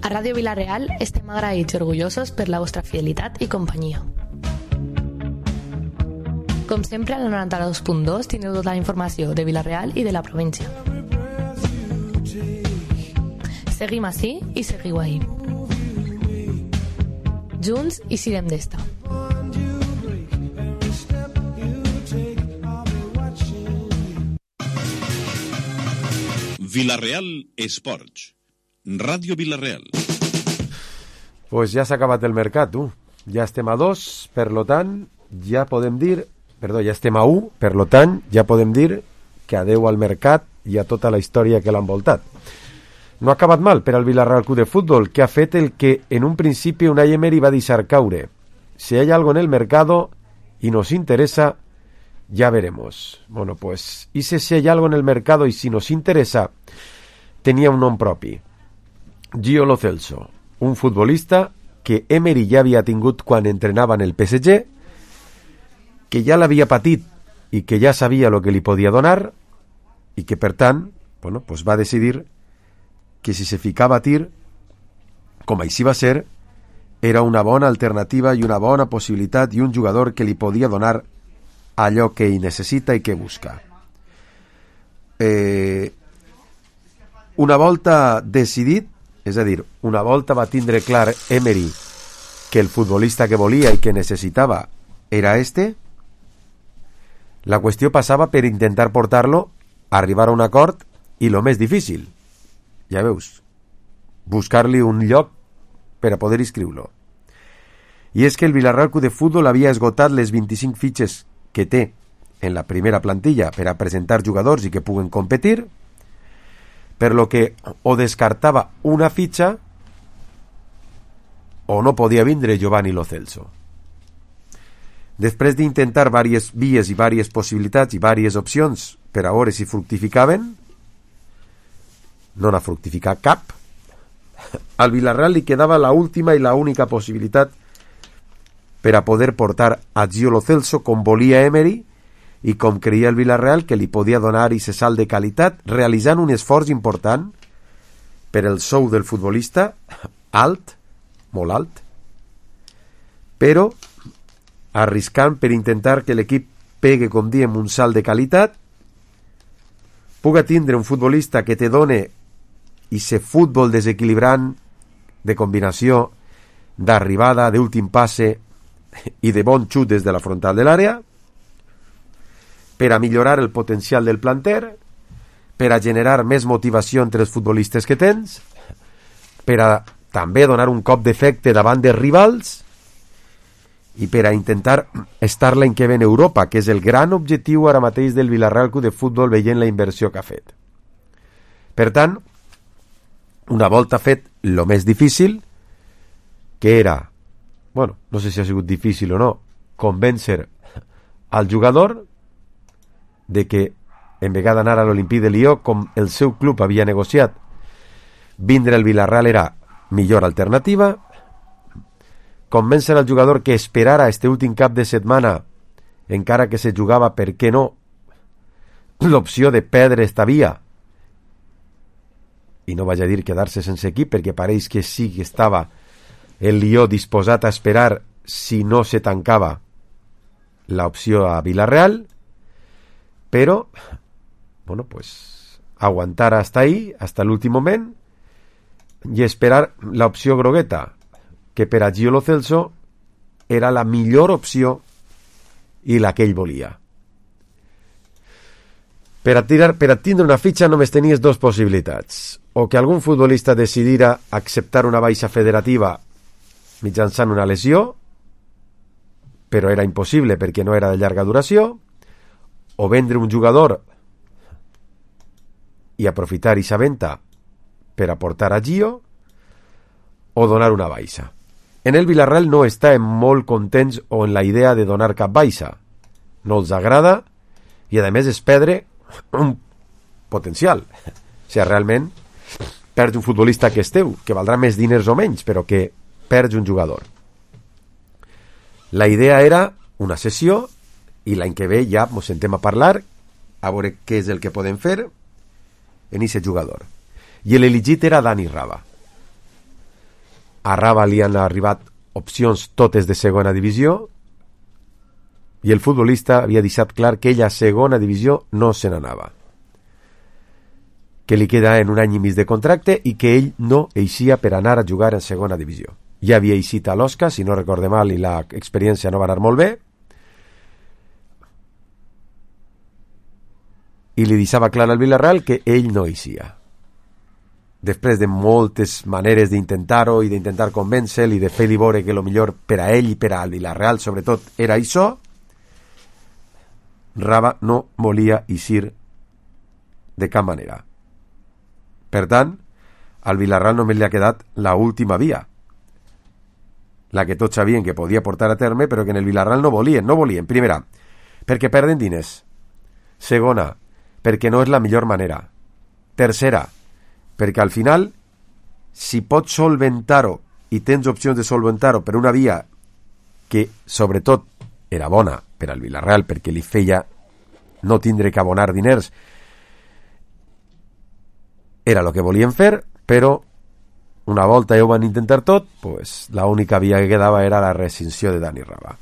A Ràdio Vila-real estem agraïts i orgullosos per la vostra fidelitat i companyia. Com sempre, al 92.2 teniu tota la informació de Vila-real i de la província. Seguim ací i seguiu ahí. Junts i sirem d'esta. Vila-real Esports. Ràdio Vila-real. Pues ja s'ha acabat el mercat, tu. Ja estem a 2, per lo tant, ja podem dir... Perdó, ja estem a 1, per lo tant, ja podem dir que adeu al mercat i a tota la història que l'ha envoltat. No ha acabat mal per al Villarreal Club de Fútbol, que ha fet el que en un principi Unai Emery va deixar caure. Si hay algo en el mercado y nos interesa, ya veremos. Bueno, pues, y si hay algo en el mercado y si nos interesa, tenía un nom propi. Gio Lo Celso, un futbolista que Emery ja havia tingut quan entrenava en el PSG, que ja l'havia patit i que ja sabia el que li podia donar i que, per tant, bueno, pues va decidir que si se ficava a tir, com així va ser, era una bona alternativa i una bona possibilitat i un jugador que li podia donar allò que ell necessita i que busca. Una volta decidit, és a dir, una volta va tindre clar Emery que el futbolista que volia i que necessitava era este, la qüestió passava per intentar portar-lo, arribar a un acord i lo més difícil, ja veus, buscar-li un lloc per a poder inscriure-lo. I és que el Villarreal Club de Fútbol havia esgotat les 25 fitxes que té en la primera plantilla per a presentar jugadors i que puguen competir, per lo que o descartava una fitxa o no podia vindre Giovanni Lo Celso. Després d'intentar diverses vies i diverses possibilitats i diverses opcions per a veure si fructificaven, no n'ha fructificat cap. Al Villarreal li quedava la última i la única possibilitat per a poder portar a Gio Lo Celso com volia Emery i com creia el Villarreal que li podia donar i salt de qualitat, realitzant un esforç important per el sou del futbolista, alt, molt alt, però arriscant per intentar que l'equip pegue, com diem, un salt de qualitat, puga tindre un futbolista que te done i ser futbol desequilibrant de combinació, d'arribada, d'últim passe i de bon xut des de la frontal de l'àrea, per a millorar el potencial del planter, per a generar més motivació entre els futbolistes que tens, per a també donar un cop d'efecte davant dels rivals i per a intentar estar l'any que ve en Europa, que és el gran objectiu ara mateix del Villarreal Club de Fútbol veient la inversió que ha fet. Per tant, una volta fet lo més difícil, que era, bueno, no sé si ha sigut difícil o no, convèncer al jugador de que en vegada d'anar a l'Olympique de Lió, com el seu club havia negociat, vindre al Villarreal era millor alternativa, convèncer al jugador que esperara este últim cap de setmana, encara que se jugava, per què no, l'opció de perdre esta via, i no vaig a dir quedar-se sense equip, perquè pareix que sí que estava el Lió disposat a esperar si no se tancava l'opció a Villarreal, però, bueno, pues aguantar hasta ahí, hasta l'últim moment, i esperar l'opció grogueta, que per a Gio Lo Celso era la millor opció i la que ell volia. Per a tindre una fitxa només tenies dues possibilitats, o que algun futbolista decidira acceptar una baixa federativa mitjançant una lesió, però era impossible perquè no era de llarga duració, o vendre un jugador i aprofitar aquesta venta per aportar a Gio, o donar una baixa. En el Villarreal no estan molt contents o en la idea de donar cap baixa. No els agrada i a més és perdre un potencial. O sigui, realment perds un futbolista que és teu, que valdrà més diners o menys, però que perds un jugador. La idea era una sessió i l'any que ve ja ens sentem a parlar, a veure què és el que podem fer en aquest jugador. I l'elegit era Dani Raba. a Raba li han arribat opcions totes de segona divisió i el futbolista havia deixat clar que ell a segona divisió no se n'anava, que li queda en un any i mig de contracte i que ell no eixia per anar a jugar en segona divisió. Ja havia eixit a l'Osca, si no recorde mal, i l'experiència no va anar molt bé, i li deixava clar al Villarreal que ell no eixia. Després de moltes maneres d'intentar-ho i d'intentar convèncer-lo i de fer-li veure que el millor per a ell i per al Villarreal sobretot era això, Raba no volia eixir de cap manera. Per tant, al Villarreal només li ha quedat la última via, la que tots sabien que podia portar a terme, però que en el Villarreal no volien. Primera, perquè perden diners. Segona, perquè no és la millor manera. Tercera, perquè al final, si pots solventar-ho i tens opcions de solventar-ho per una via que, sobretot, era bona per al Villarreal, perquè li feia no tindre que abonar diners, era el que volien fer, però una volta ja ho van intentar tot, pues, l'única via que quedava era la rescissió de Dani Raba.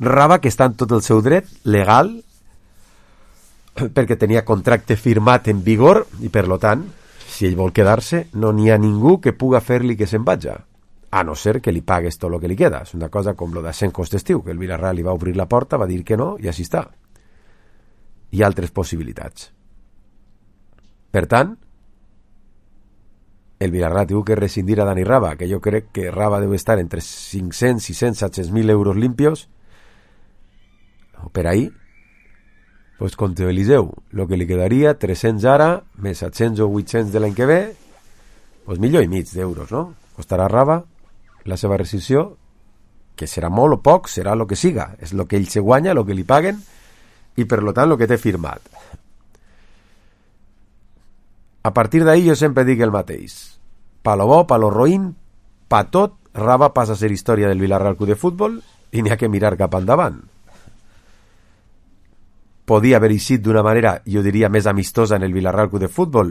Raba, que està en tot el seu dret legal, perquè tenia contracte firmat en vigor, i per lo tant, si ell vol quedar-se, no n'hi ha ningú que puga fer-li que se'n vagi, a no ser que li pagues tot el que li queda. És una cosa com lo de Sencos d'estiu, que el Villarreal li va obrir la porta, va dir que no, i així està. Hi ha altres possibilitats. Per tant, el Villarreal diu que rescindir a Dani Raba, que jo crec que Raba deu estar entre 500, 600, 700.000 euros limpios, per ahí, pues contra Eliseu, lo que li quedaria 300 ara, més 700 o 800 de l'any que ve, pues $1,500,000 d'euros, no? Costarà Raba la seva rescissió, que serà molt o poc, serà el que siga, és el que ell se guanya, el que li paguen, i per lo tant el que té firmat. A partir d'ahí jo sempre dic el mateix. Pa lo bo, pa lo roïn, pa tot, Raba passa a ser història del Villarreal Club de Futbol i n'hi ha que mirar cap endavant. Podia haver eixit d'una manera, jo diria, més amistosa en el Villarreal Club de Futbol,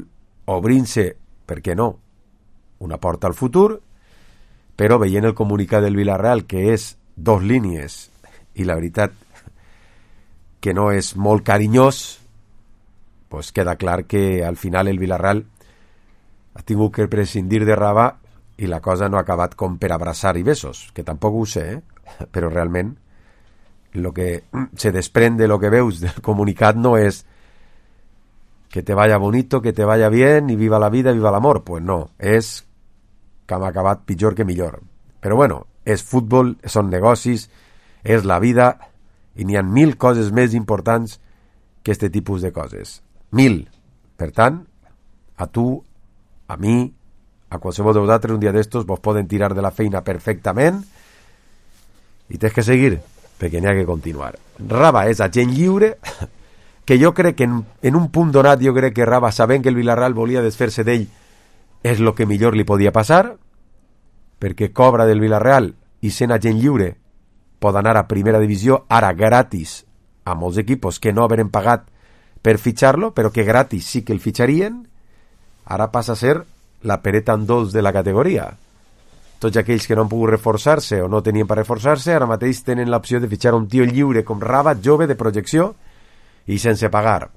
obrint-se, per què no, una porta al futur, però veient el comunicat del Villarreal, que és 2 línies, i la veritat que no és molt carinyós, pues queda clar que al final el Villarreal ha tingut que prescindir de Raba i la cosa no ha acabat com per abraçar i besos, que tampoc ho sé, però realment lo que se desprende, lo que veus del comunicat no és que te vaya bonito, que te vaya bien y viva la vida, viva l'amor. Pues no, és que hem acabat pitjor que millor. Però bueno, és futbol, són negocis, és la vida i n'hi ha 1000 coses més importants que este tipus de coses. 1000. Per tant, a tu, a mi, a qualsevol de vosaltres un dia d'estos vos poden tirar de la feina perfectament i tens que seguir, perquè n'hi ha que continuar. Raba és agent lliure, que jo crec que en un punt donat jo crec que Raba, sabent que el Villarreal volia desfer-se d'ell, és el que millor li podia passar, perquè cobra del Villarreal i sent agent lliure pot anar a primera divisió ara gratis a molts equipos que no haveren pagat per fitxar-lo, però que gratis sí que el fitxarien. Ara passa a ser la pereta en dolç de la categoria. Tots aquells que no han pogut reforçar-se o no tenien per reforçar-se ara mateix tenen l'opció de fitxar un tio lliure com Raba, jove, de projecció i sense pagar.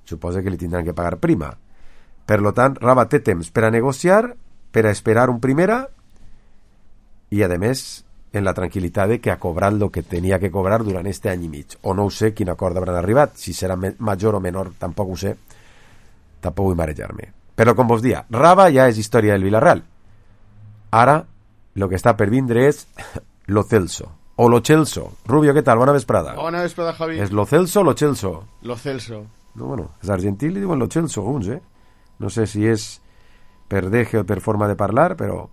Suposa que li tindran que pagar prima. Per lo tant, Raba té temps per a negociar, per a esperar un primera i, a més, en la tranquil·litat de que ha cobrat el que tenia que cobrar durant este any i mig. O no ho sé quin acord hauran arribat, si serà major o menor, tampoc ho sé, tampoc vull marejar-me. Però, com vos dia, Raba ja és història del Villarreal. Ara, el que està per vindre és Lo Celso, o Lo Celso. Rubio, què tal? Bona vesprada. Bona vesprada, Javi. És Lo Celso o Lo Celso? Lo Celso. No, bueno, és argentí, li diuen Lo Celso, uns, No sé si és per deje o per forma de parlar, però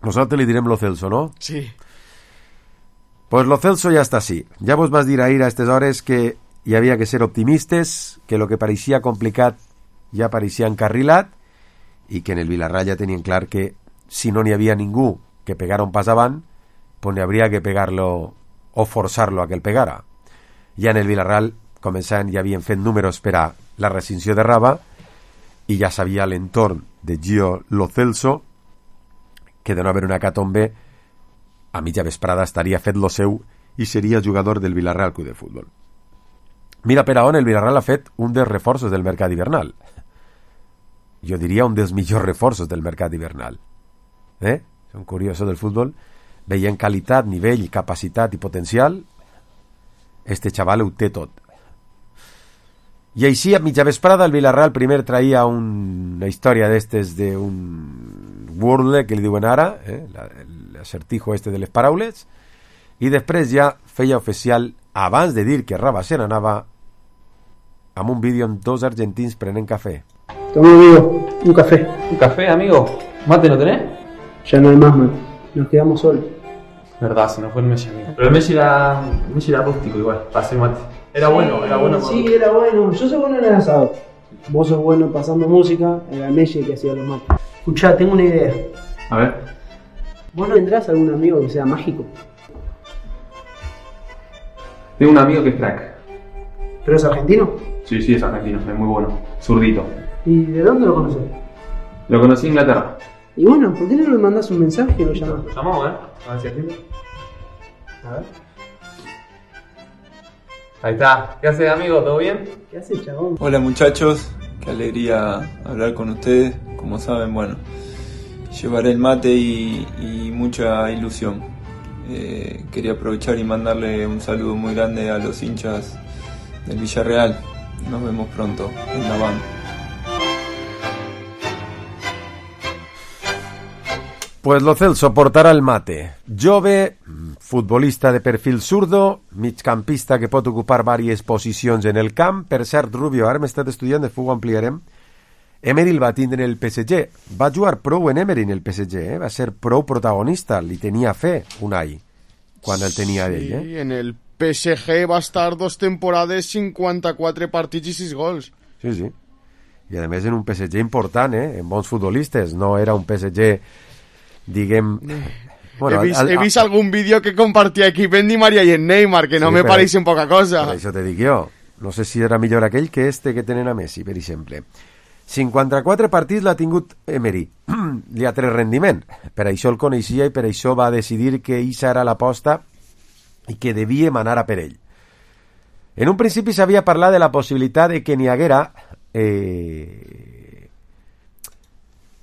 nosaltres li direm Lo Celso, no? Sí. Pues Lo Celso ja està així. Ja vos vas dir ahir a aquestes hores que hi havia que ser optimistes, que el que pareixia complicat ja pareixia encarrilat i que en el Villarreal ja tenien clar que si no n'hi havia ningú que pegara un pas avant, pues n'hi hauria que pegar-lo o forçar-lo a que el pegara. Ja en el Villarreal, començant, ja havien fet números per a la rescissió de Raba i ja sabia l'entorn de Gio Lo Celso que de no haver una hecatombe a mitja vesprada estaria fet lo seu i seria jugador del Villarreal Club de Futbol. Mira per on el Villarreal ha fet un dels reforços del mercat hivernal. Jo diria un dels millors reforços del mercat hivernal. Són curiosos del futbol. Veient qualitat, nivell, capacitat i potencial, este xaval ho té tot. I així, a mitja vesprada, el Villarreal primer traïa una història d'estes d'un wordle que li diuen ara, l'acertijo este de les paraules, i després ja feia oficial, abans de dir que Raba se n'anava, amb un vídeo amb dos argentins prenent cafè. Toma, amigo, un café. ¿Un café, amigo? ¿Mate no tenés? Ya no hay más, mate. Nos quedamos solos. Verdad, se nos fue el Messi, amigo. Pero el Messi era rústico igual, para hacer mate. Era bueno. Sí, era bueno. Yo soy bueno en el asado. Vos sos bueno pasando música, era Messi que hacía los mates. Escuchá, tengo una idea. A ver. ¿Vos no tendrás algún amigo que sea mágico? Tengo un amigo que es crack. ¿Pero es argentino? Sí, es argentino, es muy bueno. Zurdito. ¿Y de dónde lo conoces? Lo conocí en Inglaterra. Y bueno, ¿por qué no le mandás un mensaje y lo llamás? Lo llamamos, a ver si atiende. A ver. Ahí está. ¿Qué haces, amigo? ¿Todo bien? ¿Qué haces, chabón? Hola muchachos, qué alegría hablar con ustedes. Como saben, bueno, llevaré el mate y mucha ilusión. Quería aprovechar y mandarle un saludo muy grande a los hinchas del Villarreal. Nos vemos pronto en la banda. Pues lo Celso portarà el mate. Jove, futbolista de perfil zurdo, migcampista que pot ocupar diverses posicions en el camp. Per cert, Rubio, ara hem estat estudiant, després ho ampliarem. Emery el va tindre en el PSG. Va jugar prou en Emery en el PSG, va ser prou protagonista. Li tenia fe Unai quan el tenia ell. Sí, en el PSG va estar 2 temporades, 54 partits i 6 gols. Sí. I a més en un PSG important, en bons futbolistes. No era un PSG... diguem... Bueno, he vist algun vídeo que compartia aquí en Di Maria i en Neymar, que no me pareixen poca cosa. Per això te dic jo. No sé si era millor aquell que este que tenen a Messi, per exemple. 54 partits l'ha tingut Emery. Li ha tret rendiment. Per això el coneixia i per això va decidir que eixa era l'aposta i que devia manar a per ell. En un principi s'havia parlat de la possibilitat de que n'hi haguera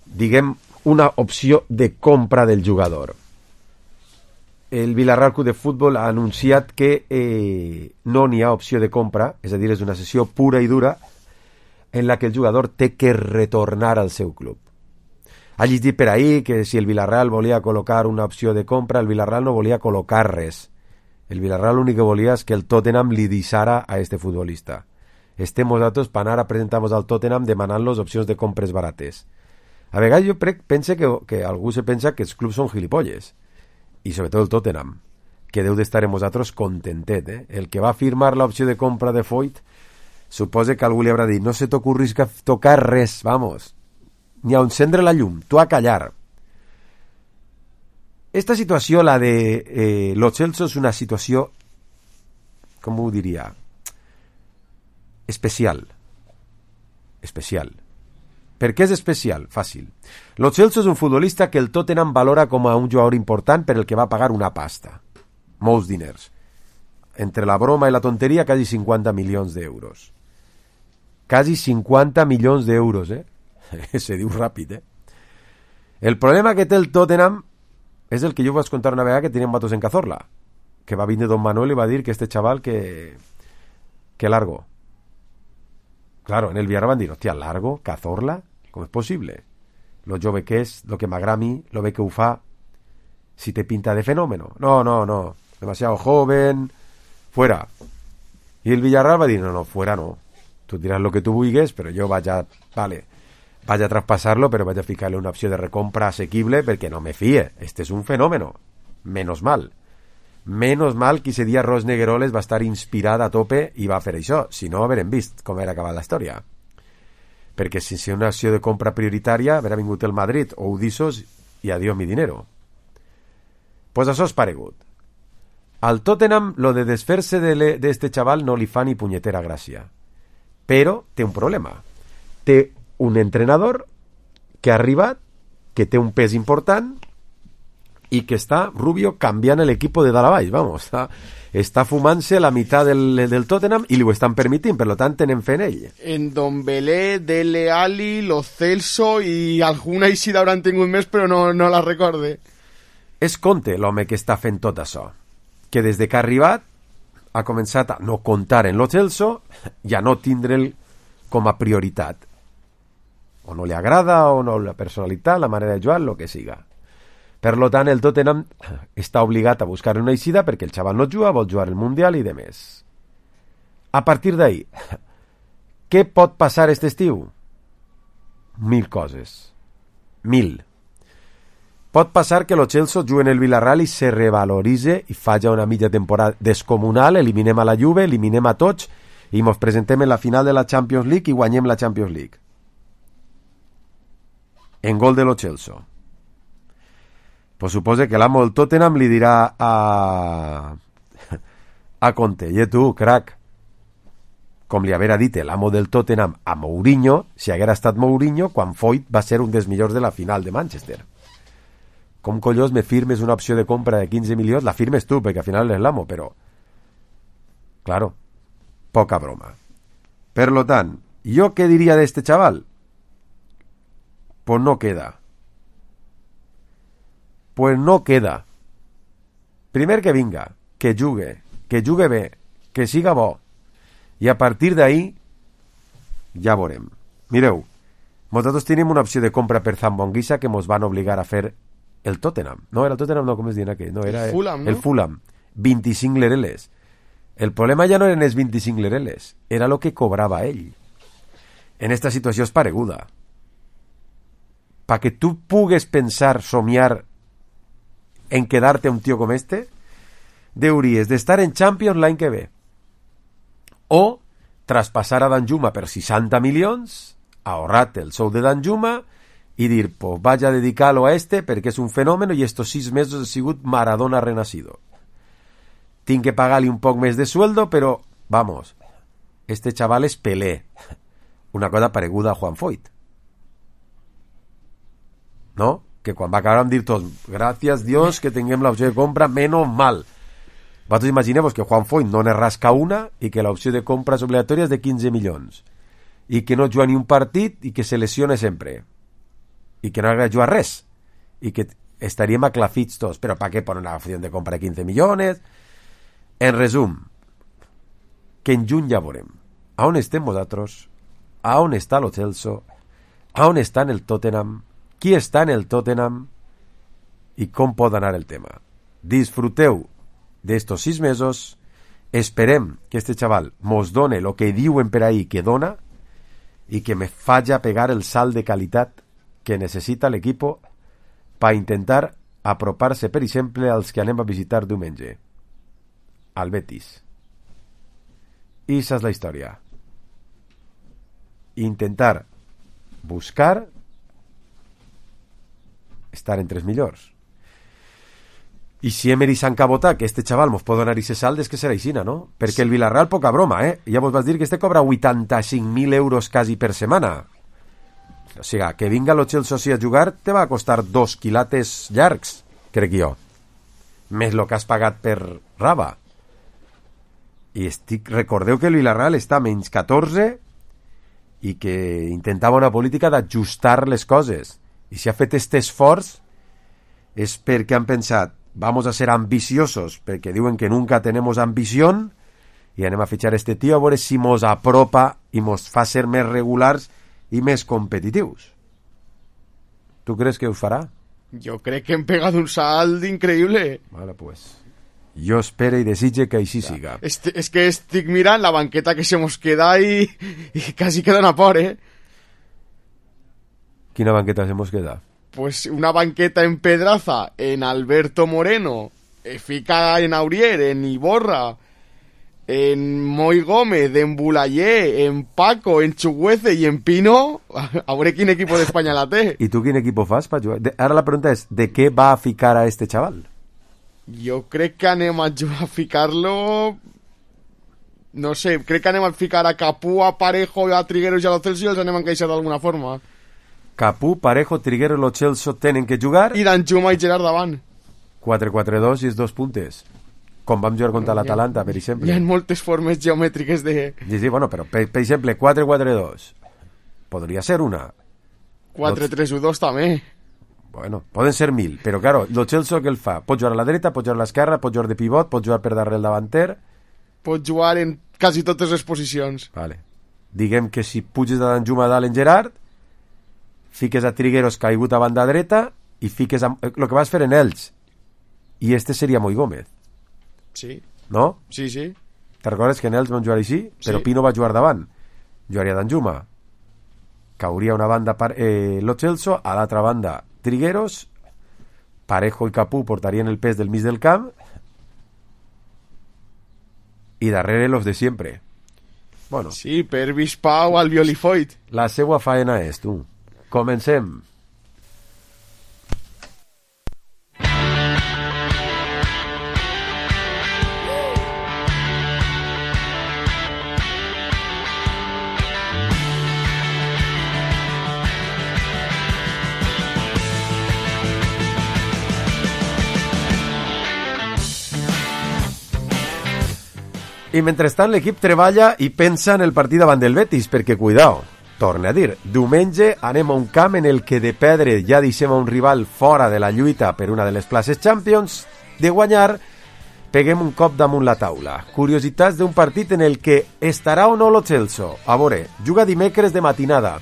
diguem una opció de compra del jugador. El Villarreal Club de Futbol ha anunciat que no n'hi ha opció de compra, és a dir, és una sessió pura i dura en la que el jugador té que retornar al seu club. Ha llegit per ahí que si el Villarreal volia col·locar una opció de compra, el Villarreal no volia col·locar res. El Villarreal l'únic que volia és que el Tottenham li deixara a este futbolista. Estem nosaltres per anar a presentar-nos al Tottenham demanant-los opcions de compres barates. A vegades jo penso que algú se pensa que els clubs són gilipolles, i sobretot el Tottenham, que deu d'estar amb vosaltres contentet. El que va firmar l'opció de compra de Foyt, suposa que algú li haurà dit, no se t'ocorris que tocar res, vamos, ni a encendre la llum, tu a callar. Esta situació, la de Lo Celso, és una situació, com ho diria, especial. Per què és especial? Fàcil. Lo Celso és un futbolista que el Tottenham valora com a un jugador important per el que va pagar una pasta. Molts diners. Entre la broma i la tonteria, quasi 50 milions d'euros. Quasi 50 milions d'euros, Se diu ràpid, El problema que té el Tottenham és el que jo vaig contar una vegada que tenien vatos en Cazorla, que va vindre Don Manuel i va dir que este chaval que largo. Claro, en el Villarreal van dir, hòstia, largo, Cazorla, com és possible? Lo jove que és, lo que m'agrada a mi, lo bé que ho fa, si te pinta de fenómeno. No, demasiado joven, fuera. I el Villarreal va dir, no, fuera no. Tu diràs lo que tu vulguis, però jo vaig a traspassar-lo, però vaig a ficar-li una opció de recompra assequible perquè no me fie. Este és un fenómeno. Menos mal que ese dia Ros Negueroles va estar inspirat a tope i va fer això, si no haurem vist com era acabat la història, perquè si és una acció de compra prioritària haurà vingut el Madrid o Udisos i adiós mi dinero. Pues això és paregut. Al Tottenham lo de desfer-se d'este xaval no li fa ni punyetera gràcia, però té un problema. Té un entrenador que ha arribat, que té un pes important i que està Rubio canviant l'equip de dalt a baix, vamos, està fumant-se la meitat del Tottenham i li ho estan permitint, per tant tenen fe en ell. En Dombelé, Dele Alli, Lo Celso i alguna eixida hauran tingut més, però no la recorde. És Conte l'home que està fent tot això, que des de que ha arribat ha començat a no comptar en Lo Celso i a no tindre'l com a prioritat. O no li agrada, o no la personalitat, la manera de jugar, el que siga. Per tant, el Tottenham està obligat a buscar una eixida perquè el xaval no juga, vol jugar el Mundial i de més. A partir d'ahí, què pot passar aquest estiu? 1000 coses. 1000. Pot passar que lo Chelsea jugui en el Villarreal i se revaloritze i faci una mitja temporada descomunal, eliminem a la Juve, eliminem a tots i ens presentem en la final de la Champions League i guanyem la Champions League. En gol de lo Chelsea. Pues supose que l'amo del Tottenham li dirà a Conte, i tu, crac, com li haguera dit l'amo del Tottenham a Mourinho, si haguera estat Mourinho, quan Foyt va ser un dels millors de la final de Manchester. Com collons me firmes una opció de compra de 15 milions? La firmes tu, perquè al final és l'amo, però... Claro, poca broma. Per lo tant, ¿yo qué diría de este chaval? Pues no queda. Pues no queda. Primer que vinga, que jugue bé, que siga bo, i a partir d'ahí ja veurem. Mireu, nosaltres tenim una opció de compra per Zambonguisa que ens van obligar a fer el Tottenham. No, era el Tottenham, no, com es diuen aquell? No, era Fulham, no? El Fulham. 25 lereles. El problema ja no eren els 25 lereles, era el que cobrava ell. En esta situació és pareguda. Perquè tu pugues pensar, somiar en quedar-te un tio com este, deuries d'estar en Champions l'any que ve. O traspassar a Danjuma per 60 milions, ahorrar-te el sou de Danjuma i dir, pues vaig a dedicar-lo a este perquè és un fenomen i estos 6 mesos he sigut Maradona renacido. Tinc que pagar-li un poc més de sueldo, però, vamos, este chaval és Pelé. Una cosa pareguda a Juan Foyt. ¿No? Que quan va acabar amb dir tots, gràcies Dios que tinguem l'opció de compra, menos mal. Vosaltres imagineu-vos que Juan Foyt no ne rasca una i que l'opció de compra és obligatòria de 15 milions i que no juga ni un partit i que se lesiona sempre i que no hagués jugat res i que estaríem aclafits tots, però per què ponen una opció de compra de 15 milions? En resum, que en juny ja veurem a on estem vosaltres, a on està lo Chelsea, a on està en el Tottenham, qui està en el Tottenham i com pot anar el tema. Disfruteu d'estos 6 mesos, esperem que este chaval mos done lo que diuen per ahí que dona i que me falla pegar el salt de qualitat que necessita l'equipo per intentar apropar-se, per exemple, als que anem a visitar diumenge, al Betis. I esa és la història. Intentar buscar estar entre els millors. I si Emery s'encabota que este xaval mos pot donar ese salt, és que serà aixina, no? Perquè el Villarreal, poca broma, Ja vos vas dir que este cobra 85.000 euros quasi per setmana. O sigui, que vinga lo Chelsea a jugar te va costar 2 quilates llargs, crec jo. Més lo que has pagat per Raba. I recordeu que el Villarreal està a menys 14 i que intentava una política d'ajustar les coses. I si ha fet este esforç és perquè han pensat vamos a ser ambiciosos, perquè diuen que nunca tenemos ambición i anem a fitxar este tio a veure si mos apropa i mos fa ser més regulars i més competitius. ¿Tú crees que ho farà? Yo creo que han pegado un salto increíble. Vale, pues jo espero i desitge que així siga. Es que estic mirant la banqueta que se mos queda y casi queda una por, Quina banqueta se mos queda? Pues una banqueta en Pedraza, en Alberto Moreno, fica en Aurier, en Iborra, en Moy Gómez, en Bulayé, en Paco, en Chugüece y en Pino. A veure quin equipo d'Espanya la té. I tu quin equipo fas per jugar? Ara la pregunta és, ¿de què va a ficar a este chaval? Jo crec que anem a ficar-lo... No sé, crec que anem a ficar a Capú, a Parejo, a Trigueros i a Lo Celso i els anem a encaixar d'alguna forma. Capú, Parejo, Trigueros i Lo Celso tenen que jugar... I Danjuma i Gerard davant. 4-4-2 i els 2 puntes. Com vam jugar contra l'Atalanta, per exemple. Hi ha moltes formes geomètriques de... Sí, bueno, però per exemple, 4-4-2 podria ser una. 4-3-1-2 també. Bueno, poden ser 1000, però claro, lo Chelsea que el fa? Pot jugar a la dreta, pot jugar a l'esquerra, pot jugar de pivot, pot jugar per darrere el davanter. Pot jugar en quasi totes les posicions. Vale. Diguem que si puges de Danjuma dalt en Gerard, fiques a Trigueros caigut a banda dreta i fiques el que vas fer en Elx. I este seria Moi Gómez. Sí. No? Sí, sí. Te recordes que en Elx van jugar així? Però Sí. Pino va jugar davant. Jugaria Danjuma. Cauria una banda Lo Celso, a l'altra banda Trigueros, Parejo i Capú portarien el pes del mig del camp i darrere los de siempre. Bueno, Sí, per Bispau, Albiol i Foyt. la seua faena és, tu. Comencem. I mentrestant l'equip treballa i pensa en el partit davant del Betis, perquè, cuidao, torna a dir, diumenge anem a un camp en el que de perdre ja deixem a un rival fora de la lluita per una de les places Champions, de guanyar, peguem un cop damunt la taula. Curiositats d'un partit en el que estarà o no Lo Celso. A veure, juga dimecres de matinada.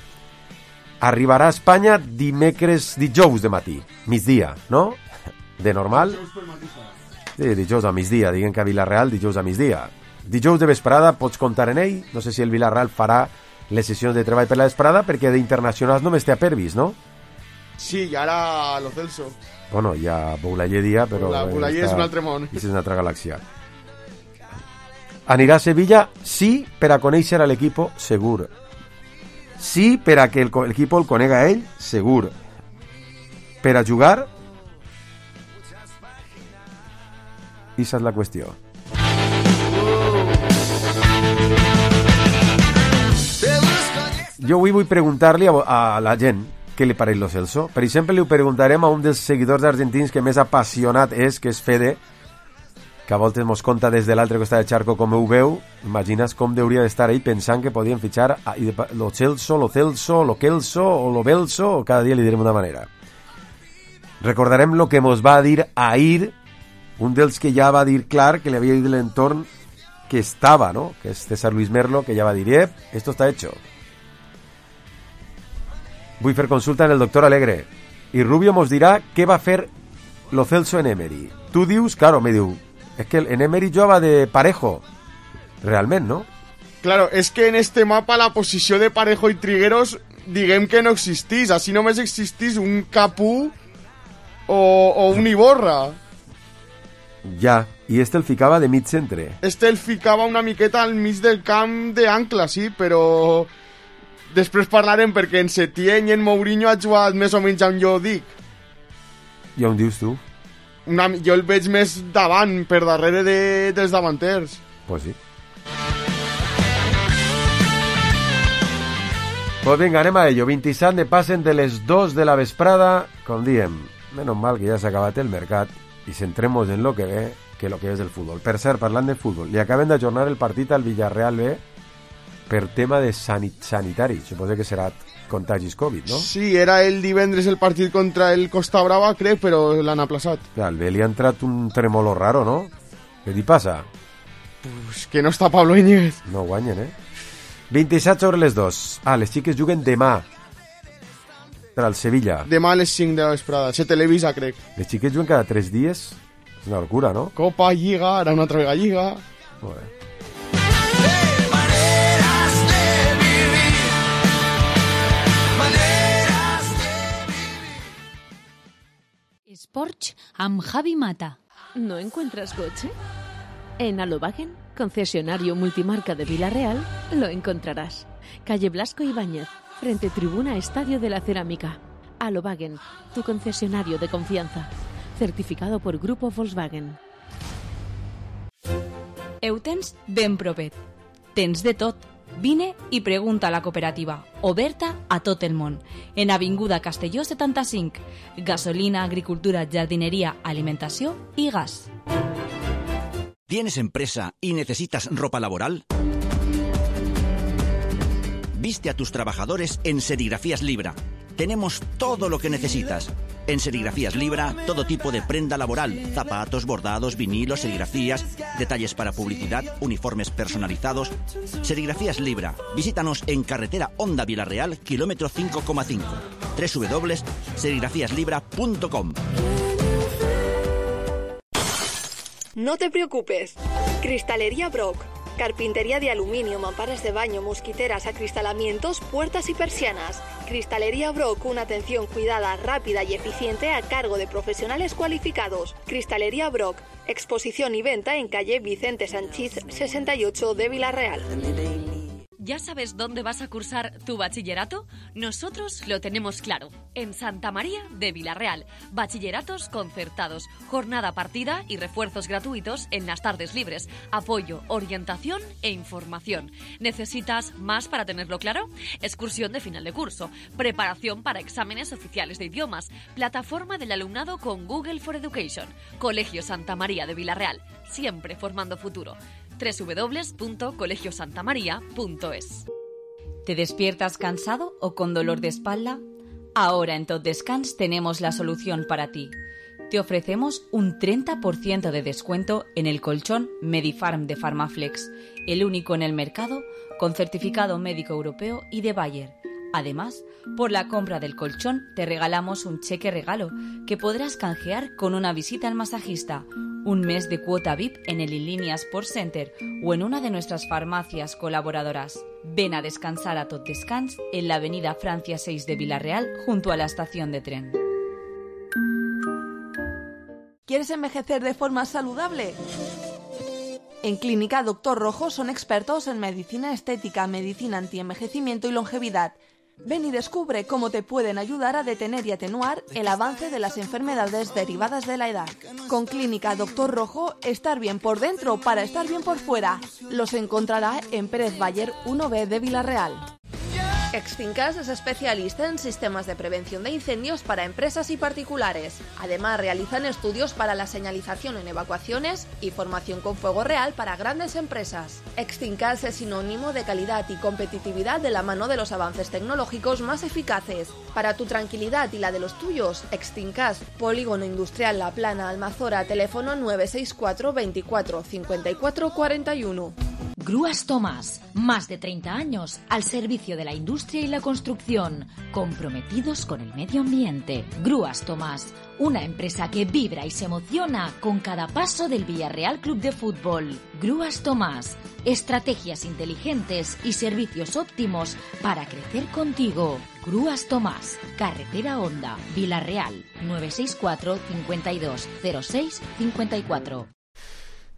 Arribarà a Espanya dijous de matí, migdia, no? De normal? Sí, dijous a migdia, diguem que a Vilareal dijous a migdia. Dijous de vesprada pots comptar en ell. No sé si el Vilareal farà les sessions de treball per la vesprada, perquè d'internacionals només té a Pervis, no? Sí, i ara Lo Celso. Bueno, hi ha Boulaye dia, però... Boulaye és un altre món. És una altra galàxia. Anirà a Sevilla, sí, per a conèixer a l'equip, segur. Sí, per a que l'equip el conega a ell, segur. Per a jugar... Esa és la qüestió. Jo avui vull preguntar-li a la gent què li pareix Lo Celso. Per exemple, li ho preguntarem a un dels seguidors argentins que més apassionat és, que és Fede, que a voltes mos conta des de l'altre costat de Charco com ho veu. Imagines com hauria d'estar ell pensant que podien fitxar Lo Celso, Lo Celso, Lo Kelso o Lo Belso, o cada dia li direm una manera. Recordarem lo que mos va dir ahir un dels que ja va dir clar que li havia dit l'entorn que estava, ¿no? Que és César Luis Merlo, que ja va dir, esto está hecho. Vull fer consulta en el doctor Alegre. I Rubio mos dirà què va fer Lo Celso en Emery. Tu dius, claro, me diu, es que en Emery jugava de Parejo. Realment, ¿no? Claro, és que en este mapa la posició de Parejo i Trigueros diguem que no existís. Així només existís un Capú o un Iborra. Ja, i este el ficava de mig centre. Este el ficava una miqueta al mig del camp d'Ancla, sí, però... Després parlarem, perquè en Setién i en Mourinho ha jugat més o menys on jo dic. I on dius tu? Jo el veig més davant, per darrere dels davanters. Pues sí. Pues vinga, anem a ello. 27 passen de les 2 de la vesprada. Com diem, menos mal que ja s'ha acabat el mercat i centremos en lo que ve, que lo que és el futbol. Per cert, parlant de futbol, li acaben d'ajornar el partit al Villarreal B per tema de sanitari. Suposo que serà contagis Covid, no? Sí, era el divendres el partit contra el Costa Brava, crec, però l'han aplaçat. Clar, al B li ha entrat un tremolo raro, no? Què li passa? Pues que no està Pablo Íñiguez. No guanyen, 27 sobre les 2. Les xiques juguen demà per al Sevilla. Demà a les 5 de la vesprada. Se televisa, crec. Les xiques juguen cada 3 dies. És una locura, no? Copa, Lliga, ara una altra vegada Lliga. Molt bé. Sports amb Javi Mata. ¿No encuentras coche? En Alobagen, concesionario multimarca de Vilareal, lo encontrarás. Calle Blasco Ibáñez, frente Tribuna Estadio de la Cerámica. Alobagen, tu concesionario de confianza. Certificado por Grupo Volkswagen. Heu tens ben provet. Tens de tot. Vine i pregunta a la cooperativa, oberta a tot el món, en Avinguda Castelló 75, gasolina, agricultura, jardinería, alimentació i gas. ¿Tienes empresa y necesitas ropa laboral? Viste a tus trabajadores en Serigrafías Libra. Tenemos todo lo que necesitas. En Serigrafías Libra, todo tipo de prenda laboral, zapatos, bordados, vinilos, serigrafías, detalles para publicidad, uniformes personalizados. Serigrafías Libra. Visítanos en carretera Honda Vilarreal, kilómetro 5,5. www.serigrafíaslibra.com. No te preocupes. Cristalería Brock. Carpintería de aluminio, mamparas de baño, mosquiteras, acristalamientos, puertas y persianas. Cristalería Brock, una atención cuidada, rápida y eficiente a cargo de profesionales cualificados. Cristalería Brock, exposición y venta en calle Vicente Sanchís 68 de Vilarreal. ¿Ya sabes dónde vas a cursar tu bachillerato? Nosotros lo tenemos claro. En Santa María de Vilarreal. Bachilleratos concertados, jornada partida y refuerzos gratuitos en las tardes libres. Apoyo, orientación e información. ¿Necesitas más para tenerlo claro? Excursión de final de curso. Preparación para exámenes oficiales de idiomas. Plataforma del alumnado con Google for Education. Colegio Santa María de Vilarreal. Siempre formando futuro. www.colegiosantamaria.es. ¿Te despiertas cansado o con dolor de espalda? Ahora en Tot Descans tenemos la solución para ti. Te ofrecemos un 30% de descuento en el colchón Medifarm de Pharmaflex, el único en el mercado con certificado médico europeo y de Bayer. Además, por la compra del colchón te regalamos un cheque regalo que podrás canjear con una visita al masajista, un mes de cuota VIP en el Inlínea Sport Center o en una de nuestras farmacias colaboradoras. Ven a descansar a Tot Descans en la avenida Francia 6 de Vilarreal junto a la estación de tren. ¿Quieres envejecer de forma saludable? En Clínica Doctor Rojo son expertos en medicina estética, medicina antienvejecimiento y longevidad. Ven y descubre cómo te pueden ayudar a detener y atenuar el avance de las enfermedades derivadas de la edad. Con Clínica Doctor Rojo, estar bien por dentro para estar bien por fuera. Los encontrará en Pérez Bayer 1B de Vilarreal. Extincas es especialista en sistemas de prevención de incendios para empresas y particulares. Además, realizan estudios para la señalización en evacuaciones y formación con fuego real para grandes empresas. Extincas es sinónimo de calidad y competitividad de la mano de los avances tecnológicos más eficaces. Para tu tranquilidad y la de los tuyos, Extincas, Polígono Industrial La Plana, Almazora, teléfono 964 24 54 41. Grúas Tomás, más de 30 años al servicio de la industria y la construcción, comprometidos con el medio ambiente. Grúas Tomás, una empresa que vibra y se emociona con cada paso del Villarreal Club de Fútbol. Grúas Tomás, estrategias inteligentes y servicios óptimos para crecer contigo. Grúas Tomás, carretera Honda, Vilarreal, 964 52 06 54.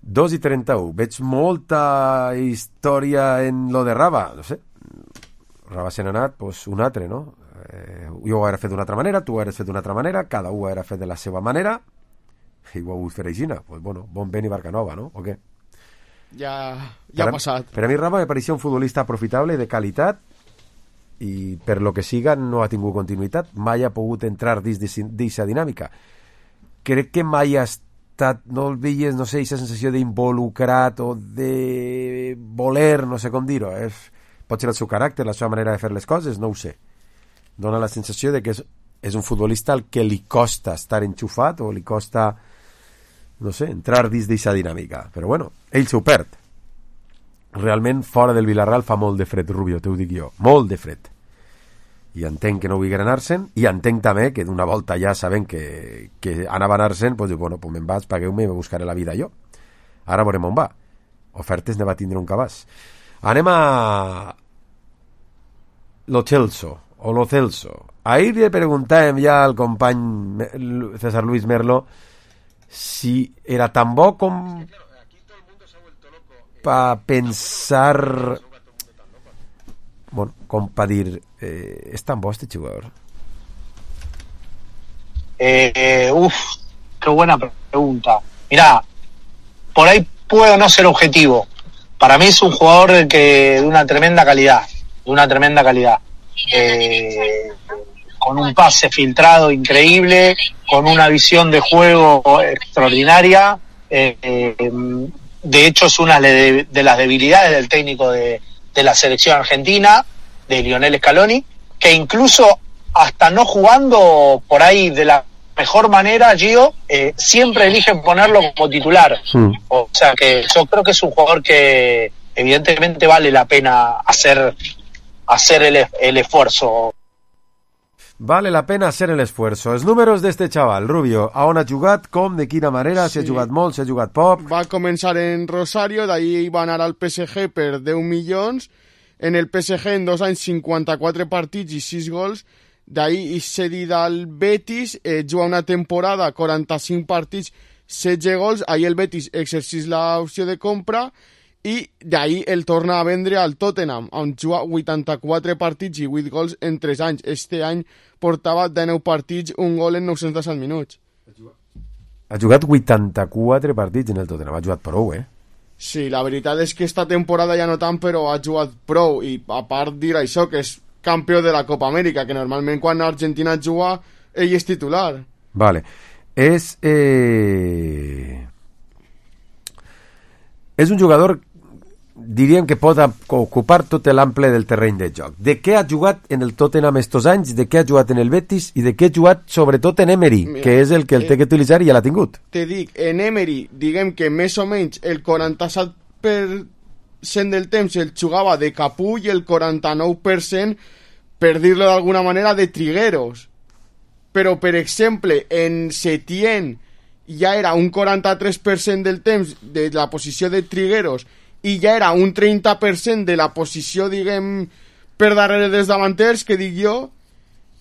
2:31. Veig molta història en lo de Raba. No sé. Raba se n'ha anat, doncs un altre, no? Jo ho he fet d'una altra manera, tu ho has fet d'una altra manera, cada un ho ha fet de la seva manera, i ho ha volgut fer així. Pues bueno, bon vent i barca nova, no? O què? Ja ha passat. Per a mi Raba me pareixia un futbolista aprofitable, de qualitat, i per lo que siga no ha tingut continuïtat, mai ha pogut entrar dins d'aquesta dinàmica. Crec que mai ha no el veies, no sé, aquesta sensació d'involucrat o de voler, no sé com dir-ho, pot ser el seu caràcter, la seva manera de fer les coses, no ho sé. Dóna la sensació de que és un futbolista al que li costa estar enxufat o li costa, no sé, entrar dins d'aquesta dinàmica, però bueno, ell s'ho perd. Realment fora del Villarreal fa molt de fred, Rubio, t'ho dic jo, molt de fred. I entenc que no vulguin anar-se'n, i entenc també que d'una volta ja sabent que anava a anar-se'n, doncs diu, bueno, pues me'n vaig, pagueu-me i me buscaré la vida jo. Ara veurem on va. Ofertes ne va tindre un cabàs. Anem a Lo Celso. Ahir li preguntàvem ja al company César Luis Merlo si era tan bo com per pensar... Bueno, com para dir, ¿es tan bo este jugador? Qué buena pregunta. Mirá, por ahí puedo no ser objetivo. para mí es un jugador de una tremenda calidad, con un pase filtrado increíble, con una visión de juego extraordinaria. De hecho, es una de las debilidades del técnico de la selección argentina, de Lionel Scaloni, que incluso hasta no jugando por ahí de la mejor manera, Gio, siempre eligen ponerlo como titular. O sea que yo creo que es un jugador que evidentemente vale la pena hacer el esfuerzo. Vale la pena hacer l'esforç. Els números d'este xaval, Rubio, a on ha jugat, com, de quina manera, si ha jugat molt, si ha jugat poc... Va començar en Rosario, d'ahí va anar al PSG per 10 milions, en el PSG en 2 anys 54 partits i 6 gols, d'ahí és cedit al Betis, juga una temporada, 45 partits, 16 gols, ahí el Betis exercís l'opció de compra, i d'ahí el torna a vendre al Tottenham, on juga 84 partits i 8 gols en 3 anys. Este any portava 19 partits, un gol en 917 minuts. Ha jugat 84 partits en el Tottenham, ha jugat prou, Sí, la veritat és que esta temporada ja no tant, però ha jugat prou, i a part dir això, que és campió de la Copa Amèrica, que normalment quan Argentina juga, ell és titular. Vale. És un jugador, diríem que pot ocupar tot l'ample del terreny de joc. De què ha jugat en el Tottenham estos anys, de què ha jugat en el Betis i de què ha jugat sobretot en Emery, que és el que el té que utilitzar i ja l'ha tingut. Te dic, en Emery, diguem que més o menys el 47% del temps el jugava de capull i el 49%, per dir-lo d'alguna manera, de trigueros. Però, per exemple, en Setién ja era un 43% del temps de la posició de trigueros i ja era un 30% de la posició, diguem, per darrere dels davanters, que dic jo,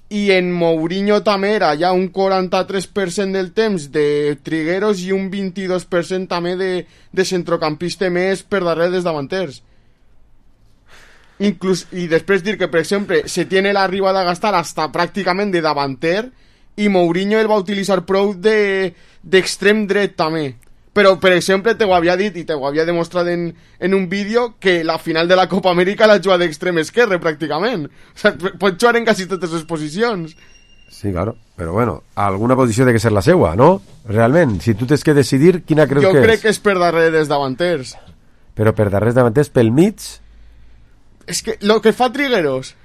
i en Mourinho també era ja un 43% del temps de trigueros i un 22% també de centrocampista més per darrere dels davanters. Inclús, i després dir que, per exemple, Setién l'arriba a gastar hasta pràcticament de davanter i Mourinho el va utilitzar prou d'extrem dret també. Però, per exemple, te ho havia dit i te ho havia demostrat en un vídeo que la final de la Copa Amèrica la juga d'extrem esquerre, pràcticament. O sigui, pot jugar en quasi totes les posicions. Sí, claro. Però, bueno, alguna posició ha de ser la seua, no? Realment, si tu tens que decidir, quina creus que és? Jo crec que és per darrere dels davanters. Però per darrere dels davanters, pel mig? És que lo que fa Trigueros.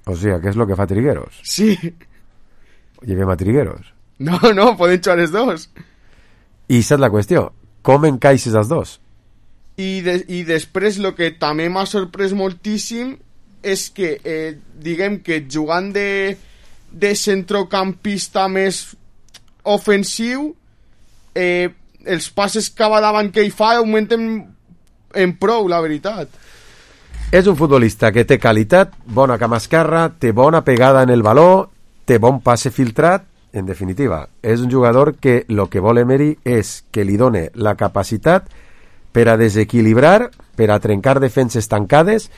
O sigui, què és lo que fa Trigueros? Sí. Llevem a Trigueros. No, poden jugar els dos. I saps la qüestió, com encaixes els dos? I després el que també m'ha sorprès moltíssim és que, diguem que jugant de centrocampista més ofensiu, els passes cap davant que ell fa augmenten en prou, la veritat. És un futbolista que té qualitat, bona cama esquerra, té bona pegada en el baló, té bon passe filtrat. En definitiva, és un jugador que el que vol Emery és que li done la capacitat per a desequilibrar, per a trencar defenses tancades,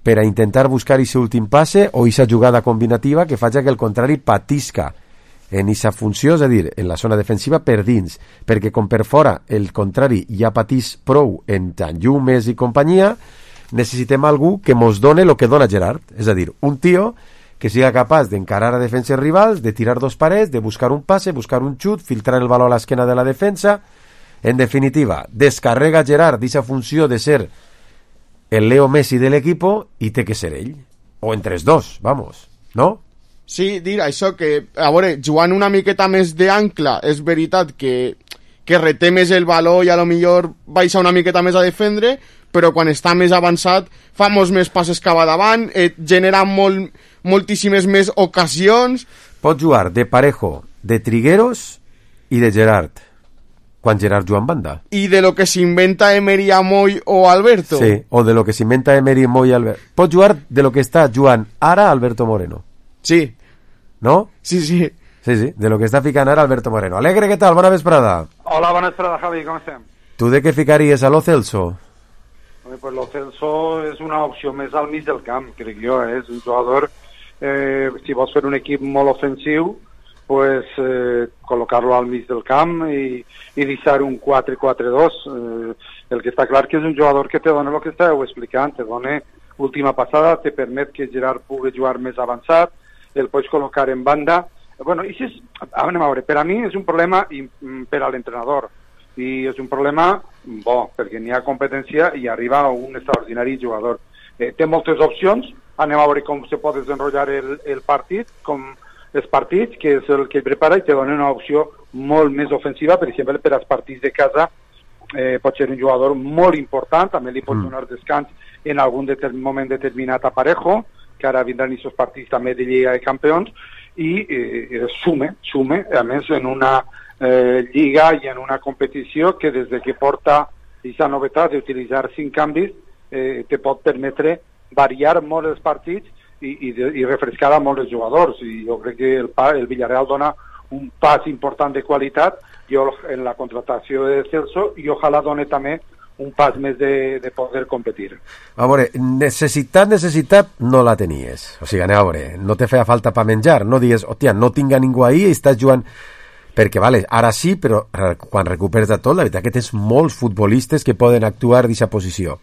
per a intentar buscar aquest últim passe o aquesta jugada combinativa que faci que el contrari patisca en aquesta funció, és a dir, en la zona defensiva per dins, perquè com per fora el contrari ja patís prou en Tanjumes i companyia, necessitem algú que mos done el que dona Gerard, és a dir, un tio que siga capaç d'encarar a defenses rivals, de tirar dos parets, de buscar un passe, buscar un xut, filtrar el baló a l'esquena de la defensa. En definitiva, descarrega Gerard d'aquesta funció de ser el Leo Messi de l'equip i té que ser ell. O entre els dos, vamos, no? Sí, dir això que, a veure, jugant una miqueta més d'ancla, és veritat que reté més el baló i a lo millor baixa una miqueta més a defendre, però quan està més avançat fa molts més passes cap a davant, genera moltíssimes més ocasions. Pot jugar de Parejo, de Trigueros i de Gerard, quan Gerard juga en banda. I de lo que s'inventa Emery a Moy o Alberto. Sí, o de lo que s'inventa Emery a Moy i Alberto. Pot jugar de lo que està jugant ara Alberto Moreno. Sí. ¿No? Sí, de lo que està ficant ara Alberto Moreno. Alegre, què tal? Bona vesprada. Hola, bona vesprada, Javi, com estem? Tu de què ficaries a Lo Celso? Pues Lo Celso és una opció més al mig del camp, crec jo, és un jugador, si vols fer un equip molt ofensiu, pues col·locar-lo al mig del camp i deixar un 4-4-2. El que està clar que és un jugador que te dona el que estàveu explicant, te dona última passada, te permet que Gerard pugui jugar més avançat, el pots col·locar en banda. Bueno, i anem a veure, per a mi és un problema per a l'entrenador, i és un problema bo, perquè n'hi ha competència i arriba un extraordinari jugador. Té moltes opcions, anem a veure com se pot desenrotllar el partit, com els partits, que és el que prepara, i te dona una opció molt més ofensiva, per exemple, per als partits de casa, pot ser un jugador molt important, també li pot donar descans en algun moment determinat a Parejo, que ara vindran aquests partits també de Lliga de Campions, i sume, a més, en una lliga i en una competició que des de que porta aquesta novetat d'utilitzar 5 canvis te pot permetre variar molt els partits i refrescar a molts jugadors. I jo crec que el Villarreal dona un pas important de qualitat en la contratació de Celso, i ojalà doni també un pas més de poder competir. A veure, necessitat no la tenies. O sigui, a veure, no te feia falta per menjar, no digues, hòstia, no tinc a ningú ahí i estàs jugant... Perquè, vale, ara sí, però quan recuperes de tot, la veritat que tens molts futbolistes que poden actuar d'aquesta posició.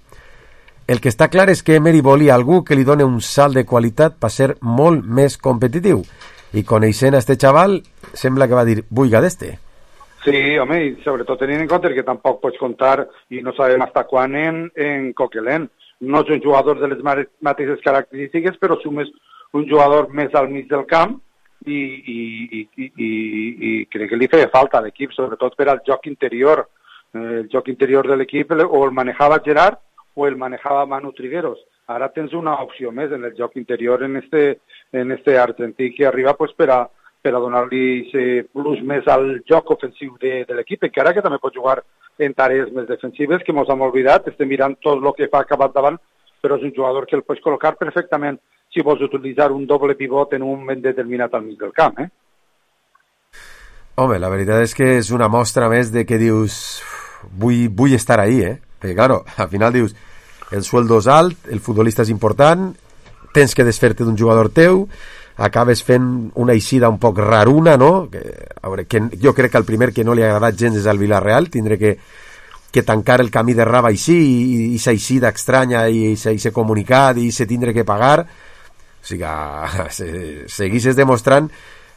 El que està clar és que Emery volia algú que li doni un salt de qualitat per ser molt més competitiu. I coneixent a este xaval, sembla que va dir, buiga d'este. Sí, home, i sobretot tenint en compte que tampoc pots comptar, i no sabem fins quan, en Coquelin. No és un jugador de les mateixes característiques, però sumes un jugador més al mig del camp, i crec que li feia falta a l'equip, sobretot per al joc interior. El joc interior de l'equip o el manejava Gerard o el manejava Manu Trigueros. Ara tens una opció més en el joc interior en este argentí que arriba pues, per a donar-li plus més al joc ofensiu de l'equip, encara que també pot jugar en tarees més defensives, que mos hem oblidat, estem mirant tot el que fa acabat davant, però és un jugador que el pots col·locar perfectament si vols utilitzar un doble pivot en un moment determinat al mig del camp, Home, la veritat és que és una mostra més de que dius vull estar ahí, Perquè, claro, al final dius el sueldo és alt, el futbolista és important, tens que desfer-te d'un jugador teu, acabes fent una eixida un poc raruna, no? A veure, jo crec que el primer que no li ha agradat gens és al Villarreal, tindré que tancar el camí de Raba així, i esa eixida estranya, i ese comunicat, i se tindre que pagar. O sigui, seguisses demostrant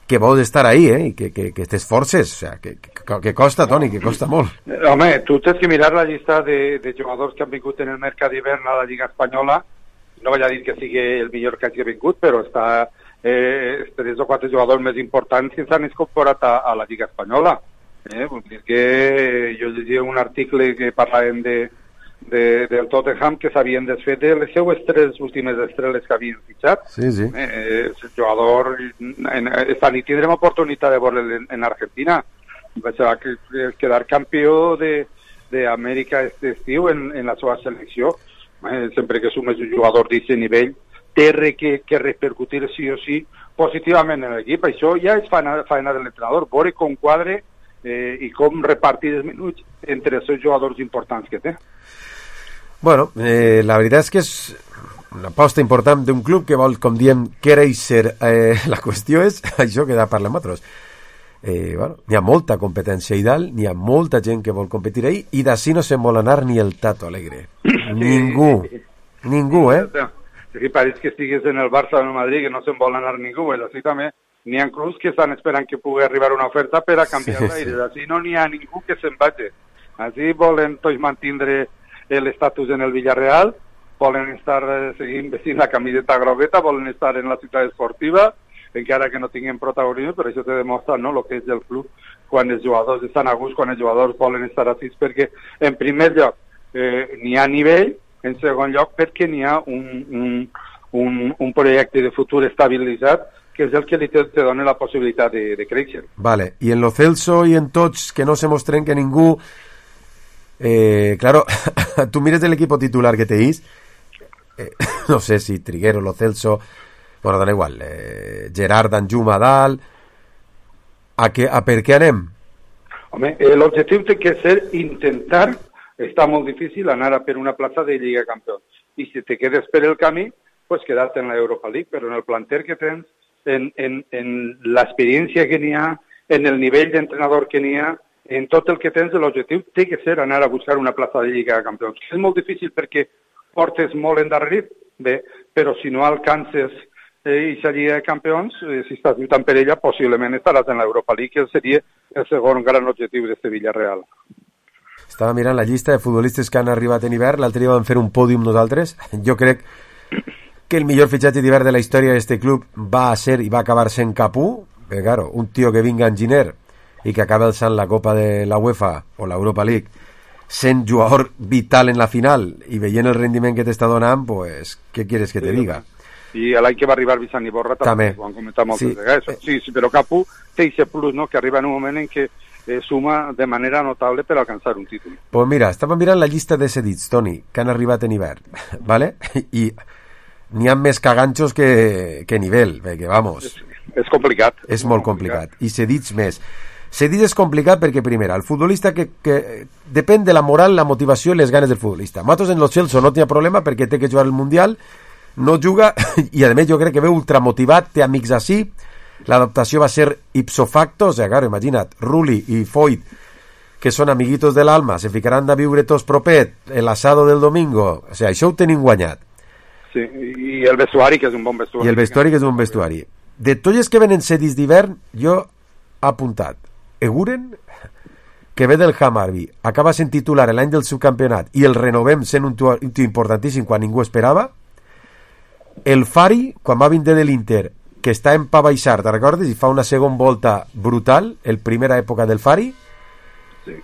que vols estar ahí, i que t'esforces, o sigui, que costa, Toni, que costa molt. Home, tu tens que mirar la llista de jugadors que han vingut en el mercat d'hivern a la Lliga Espanyola. No vaig a dir que sigui el millor que hagi vingut, però està 3 o 4 jugadors més importants que s'han incorporat a la Lliga Espanyola. Vull dir que jo llegia un article que parlàvem del Tottenham, que s'havien desfet de les seues 3 últimes estrelles que havien fitxat. Sí. El jugador, esta nit tindrem oportunitat de veure en Argentina. Va quedar campió d'Amèrica este estiu en la seva selecció. Sempre que sumes un jugador d'aquest nivell, té que repercutir sí o sí positivament en l'equip. Això ja és feina de l'entrenador, veure com quadre i com repartir els minuts entre els seus jugadors importants que té. Bueno, la veritat és que és una aposta important d'un club que vol, com diem, créixer. La qüestió és això que parlem nosaltres. Bueno, n'hi ha molta competència i dalt, n'hi ha molta gent que vol competir ahí, i d'ací no se'n vol anar ni el Tato Alegre. Ningú, Si pareix que estigués en el Barça o en el Madrid, que no se'n vol anar ningú, així també n'hi ha clubs que estan esperant que pugui arribar una oferta per a canviar d'aire. Així no n'hi ha ningú que se'n vagi. Així volen tots mantindre l'estatus en el Villarreal, volen estar seguint vestint la camiseta grogueta, volen estar en la ciutat esportiva, encara que no tinguin protagonisme, però això te demostra el que és el club quan els jugadors estan a gust, quan els jugadors volen estar així, perquè en primer lloc n'hi ha nivell, en segon lloc perquè n'hi ha un projecte de futur estabilitzat, que és el que li te dona la possibilitat de créixer. Vale, i en lo Celso i en tots que no se mostren que ningú... claro, tú mires el equipo titular que tenéis, no sé si Triguero, Lo Celso, bueno, da igual, Gerard, Danjuma, dalt, a per què anem? Home, l'objectiu té que ser intentar, està molt difícil anar a per una plaça de Lliga Campions, i si te quedes per el camí, pues quedar-te en la Europa League, però en el planter que tens en l'experiència que n'hi ha, en el nivell d'entrenador que n'hi ha, en tot el que tens, l'objectiu té que ser anar a buscar una plaça de Lliga de Campions. És molt difícil perquè portes molt endarrerit, bé, però si no alcances aquesta Lliga de Campions, si estàs lluitant per ella, possiblement estaràs en l'Europa League, que seria el segon gran objectiu d'este Villarreal. Estava mirant la llista de futbolistes que han arribat en hivern, l'altre dia vam fer un pòdium nosaltres. Jo crec que el millor fitxatge d'hivern de la història d'este club va ser i va acabar sent Capú, perquè, claro, un tio que vinga enginyer i que acaba alçant la Copa de la UEFA o l'Europa League, sent jugador vital en la final i veient el rendiment que t'està donant, pues, què quieres que te diga? I l'any que va arribar Vicent Iborra també ho han comentat moltes vegades. Sí, però Capú té aquest plus, no?, que arriba en un moment en què suma de manera notable per alcançar un títol. Pues mira, estava mirant la llista de cedits, Toni, que han arribat en hivern, ¿vale? I n'hi ha més caganxos que nivell, perquè, vamos... És complicat. És molt complicat. I cedits més. Cedits és complicat perquè, primera, el futbolista que depèn de la moral, la motivació i les ganes del futbolista. Matos en los Chelsea no tenia problema perquè té que jugar el Mundial, no juga, i a més jo crec que ve ultramotivat, té amics així, l'adaptació va ser ipso facto, o sigui, claro, imagina't, Rulli i Foyt, que són amiguitos de l'alma, se ficaran a viure tots propet, el asado del domingo, o sigui, això ho tenim guanyat. Sí, i el vestuari, que és un bon vestuari. I el vestuari, que és un vestuari. De tots els que venen cedits d'hivern, jo he apuntat Eguren, que ve del Hammarby, acaba sent titular l'any del subcampionat i el renovem sent un tio importantíssim quan ningú esperava. El Fari, quan va vindre de l'Inter, que està en pa baixar, te'n recordes? I fa una segona volta brutal, el primera època del Fari. Sí.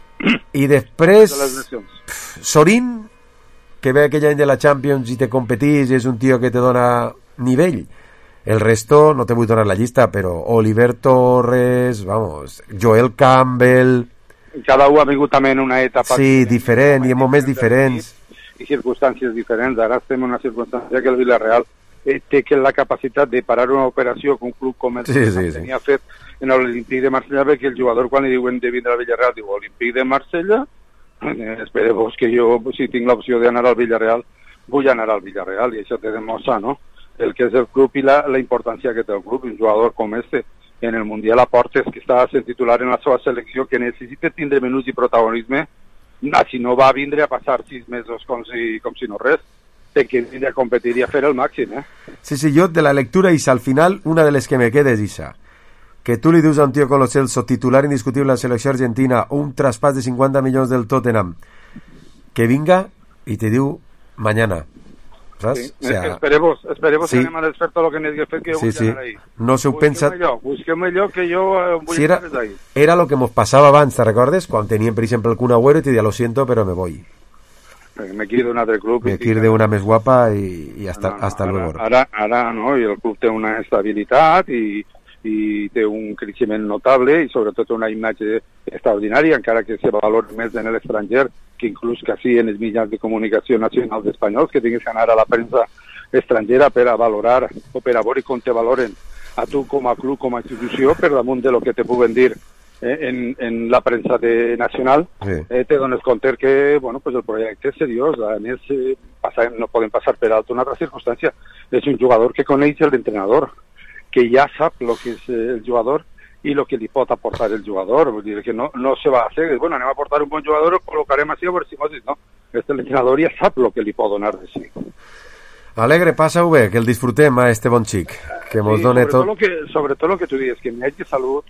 I després Sorin, que ve aquell any de la Champions i te competís, és un tio que te dona nivell. El resto, no te vull donar la llista, però Oliver Torres, vamos, Joel Campbell... Cada un ha vingut també en una etapa... Sí, diferent, i en moments diferents. I circumstàncies diferents. Ara estem en una circumstància que el Villarreal té que la capacitat de parar una operació que un club com el tenia fet en l'Olímpic de Marsella, perquè el jugador, quan li diuen de vindre al Villarreal, diu Olímpic de Marsella, espereu que jo, si tinc l'opció d'anar al Villarreal, vull anar al Villarreal, i això te demostra, no?, el que és el club i la importància que té el club. Un jugador com este en el Mundial aportes, que està sent titular en la seva selecció, que necessita tindre minuts i protagonisme, si no va a vindre a passar 6 mesos com si no res, té que vindre a competir i a fer el màxim, Sí, jo de la lectura, Isa, al final, una de les que me queda és Isa, que tu li dius a un tio con los Celso, titular indiscutible a la selecció argentina, un traspàs de 50 milions del Tottenham, que vinga i te diu mañana. Sí. O sea, esperemos sí. Que anem a desfer tot el que n'hi ha fet, que jo vull anar ahí. No s'ho pensa... Busquem allò que jo vull anar ahí. Era lo que nos passava abans, ¿te recordes? Quan teníem, per exemple, el Kun Agüero i te deia, lo siento, pero me voy. Me quiero de un altre club. Me quiero de una més guapa i hasta luego. Ara no, i el club té una estabilitat i té un creixement notable i sobretot una imatge extraordinària, encara que se valora més en l'estranger que inclús quasi en els mitjans de comunicació nacionals espanyols, que tinguis que anar a la premsa estrangera per a valorar o per a veure com te valoren a tu com a club, com a institució, per damunt de lo que te puguen dir en la premsa nacional. Te dones compte que bueno, pues el projecte és seriós. A més, no podem passar per alt una altra circumstància. És un jugador que coneix l'entrenador, que ja sap el que és el jugador i el que li pot aportar el jugador. Vull dir que no se va a hacer, bueno, anem a aportar un bon jugador, el col·locarem així a veure si mos no. L'entrenador ja sap el que li pot donar de sí. Alegre, passa-ho bé, que el disfrutem a este bon xic, que mos done tot. Sobretot el que tu dius, que n'hi hagi salut,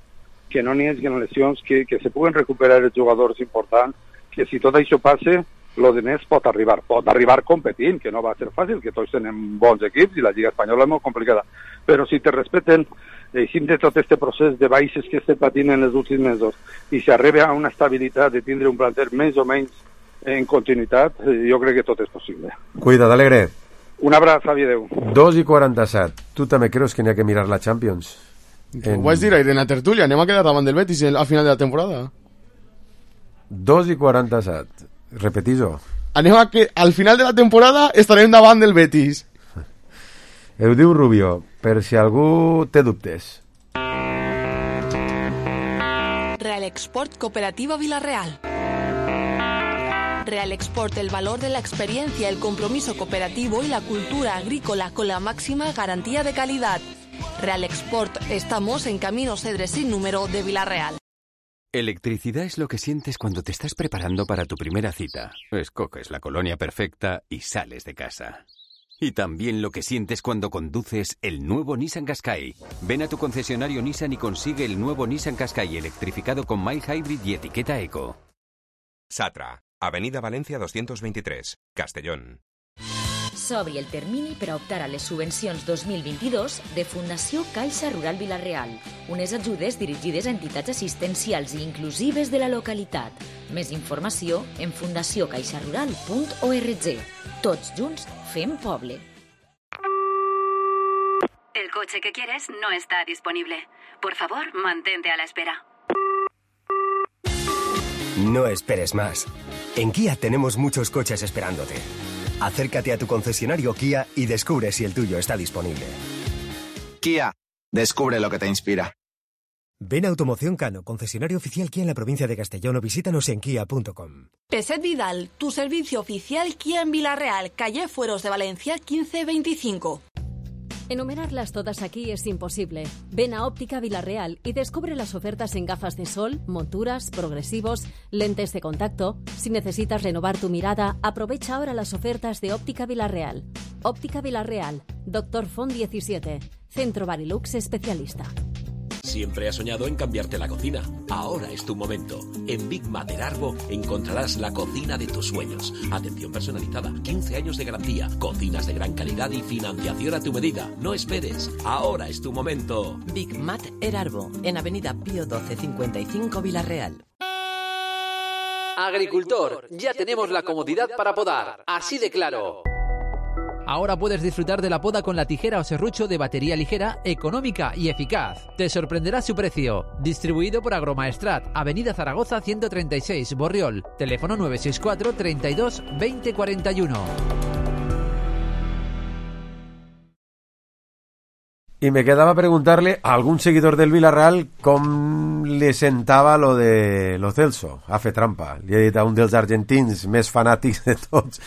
que no n'hi hagi lesions, que se puguen recuperar els jugadors importants, que si tot això passa, lo de més pot arribar competint, que no va ser fàcil, que tots tenen bons equips i la Lliga Espanyola és molt complicada. Però si te respeten, deixem de tot este procés de baixes que estem patint en els últims mesos i s'arriba a una estabilitat de tindre un planter més o menys en continuïtat, jo crec que tot és possible. Cuida't, Alegre. Un abraç, Javi, adeu. 2:47. Tu també creus que n'hi ha que mirar la Champions? Ho vaig dir ahir en la tertúlia, anem a quedar davant del Betis al final de la temporada. 2:47. Repetís-ho. Anem a que al final de la temporada estarem davant del Betis. Ho diu Rubio, per si algú té dubtes. Real Export Cooperativa Villarreal. Real Export, el valor de la experiencia, el compromiso cooperativo y la cultura agrícola con la máxima garantía de calidad. Real Export, estamos en Camino Cedres sin número de Villarreal. Electricidad es lo que sientes cuando te estás preparando para tu primera cita. Escoges la colonia perfecta y sales de casa. Y también lo que sientes cuando conduces el nuevo Nissan Qashqai. Ven a tu concesionario Nissan y consigue el nuevo Nissan Qashqai electrificado con mild hybrid y etiqueta eco. Satra, Avenida Valencia 223, Castellón. S'obri el termini per a optar a les subvencions 2022 de Fundació Caixa Rural Vila-real, unes ajudes dirigides a entitats assistencials i inclusives de la localitat. Més informació en fundaciocaixarural.org. Tots junts fem poble. El coche que quieres no está disponible. Por favor, mantente a la espera. No esperes más. En Kia tenemos muchos coches esperándote. Acércate a tu concesionario Kia y descubre si el tuyo está disponible. Kia, descubre lo que te inspira. Ven a Automoción Cano, concesionario oficial Kia en la provincia de Castellón, o visítanos en kia.com. Peset Vidal, tu servicio oficial Kia en Villarreal, calle Fueros de Valencia 1525. Enumerarlas todas aquí es imposible. Ven a Óptica Villarreal y descubre las ofertas en gafas de sol, monturas, progresivos, lentes de contacto. Si necesitas renovar tu mirada, aprovecha ahora las ofertas de Óptica Villarreal. Óptica Villarreal, Dr. Font 17, Centro Barilux especialista. Siempre has soñado en cambiarte la cocina. Ahora es tu momento. En Big Mater Arbo encontrarás la cocina de tus sueños. Atención personalizada, 15 años de garantía, cocinas de gran calidad y financiación a tu medida. No esperes. Ahora es tu momento. Big Mater Arbo, en Avenida Pío 12 55 Villarreal. Agricultor, ya tenemos la comodidad para podar. Así de claro. Ahora puedes disfrutar de la poda con la tijera o serrucho de batería ligera, económica y eficaz. Te sorprenderá su precio. Distribuido por Agromaestrat, Avenida Zaragoza 136, Borriol. Teléfono 964 32 20 41. Y me quedaba preguntarle a algún seguidor del Villarreal com le sentava lo de lo Celso. Ha fet trampa. Li he dit a un dels argentins més fanàtics de tots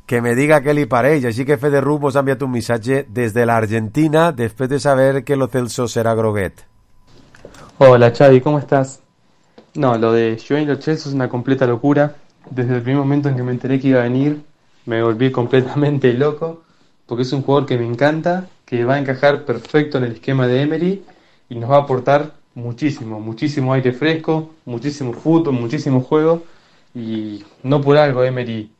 que me diga què li pareix, així que Federu mos ha enviat un missatge des de l'Argentina després de saber que lo Celso será groguet. Hola Xavi, ¿cómo estás? No, lo de Joao Lo Celso es una completa locura. Desde el primer momento en que me enteré que iba a venir, me volví completamente loco, porque es un jugador que me encanta, que va a encajar perfecto en el esquema de Emery y nos va a aportar muchísimo, muchísimo aire fresco, muchísimo fútbol, muchísimo juego, y no por algo Emery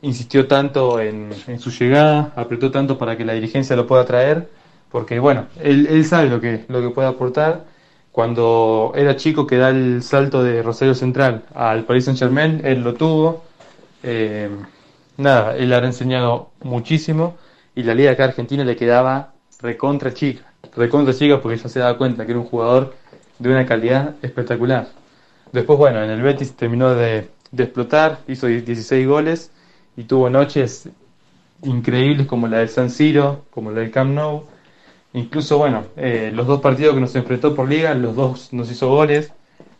insistió tanto en su llegada, apretó tanto para que la dirigencia lo pueda traer, porque bueno, él sabe lo que puede aportar. Cuando era chico que da el salto de Rosario Central al Paris Saint-Germain, él lo tuvo. Él habrá enseñado muchísimo, y la liga acá argentina le quedaba recontra chica porque ya se daba cuenta que era un jugador de una calidad espectacular. Después, bueno, en el Betis terminó de explotar, hizo 16 goles, y tuvo noches increíbles como la del San Siro, como la del Camp Nou. Incluso, bueno, los dos partidos que nos enfrentó por liga, los dos nos hizo goles.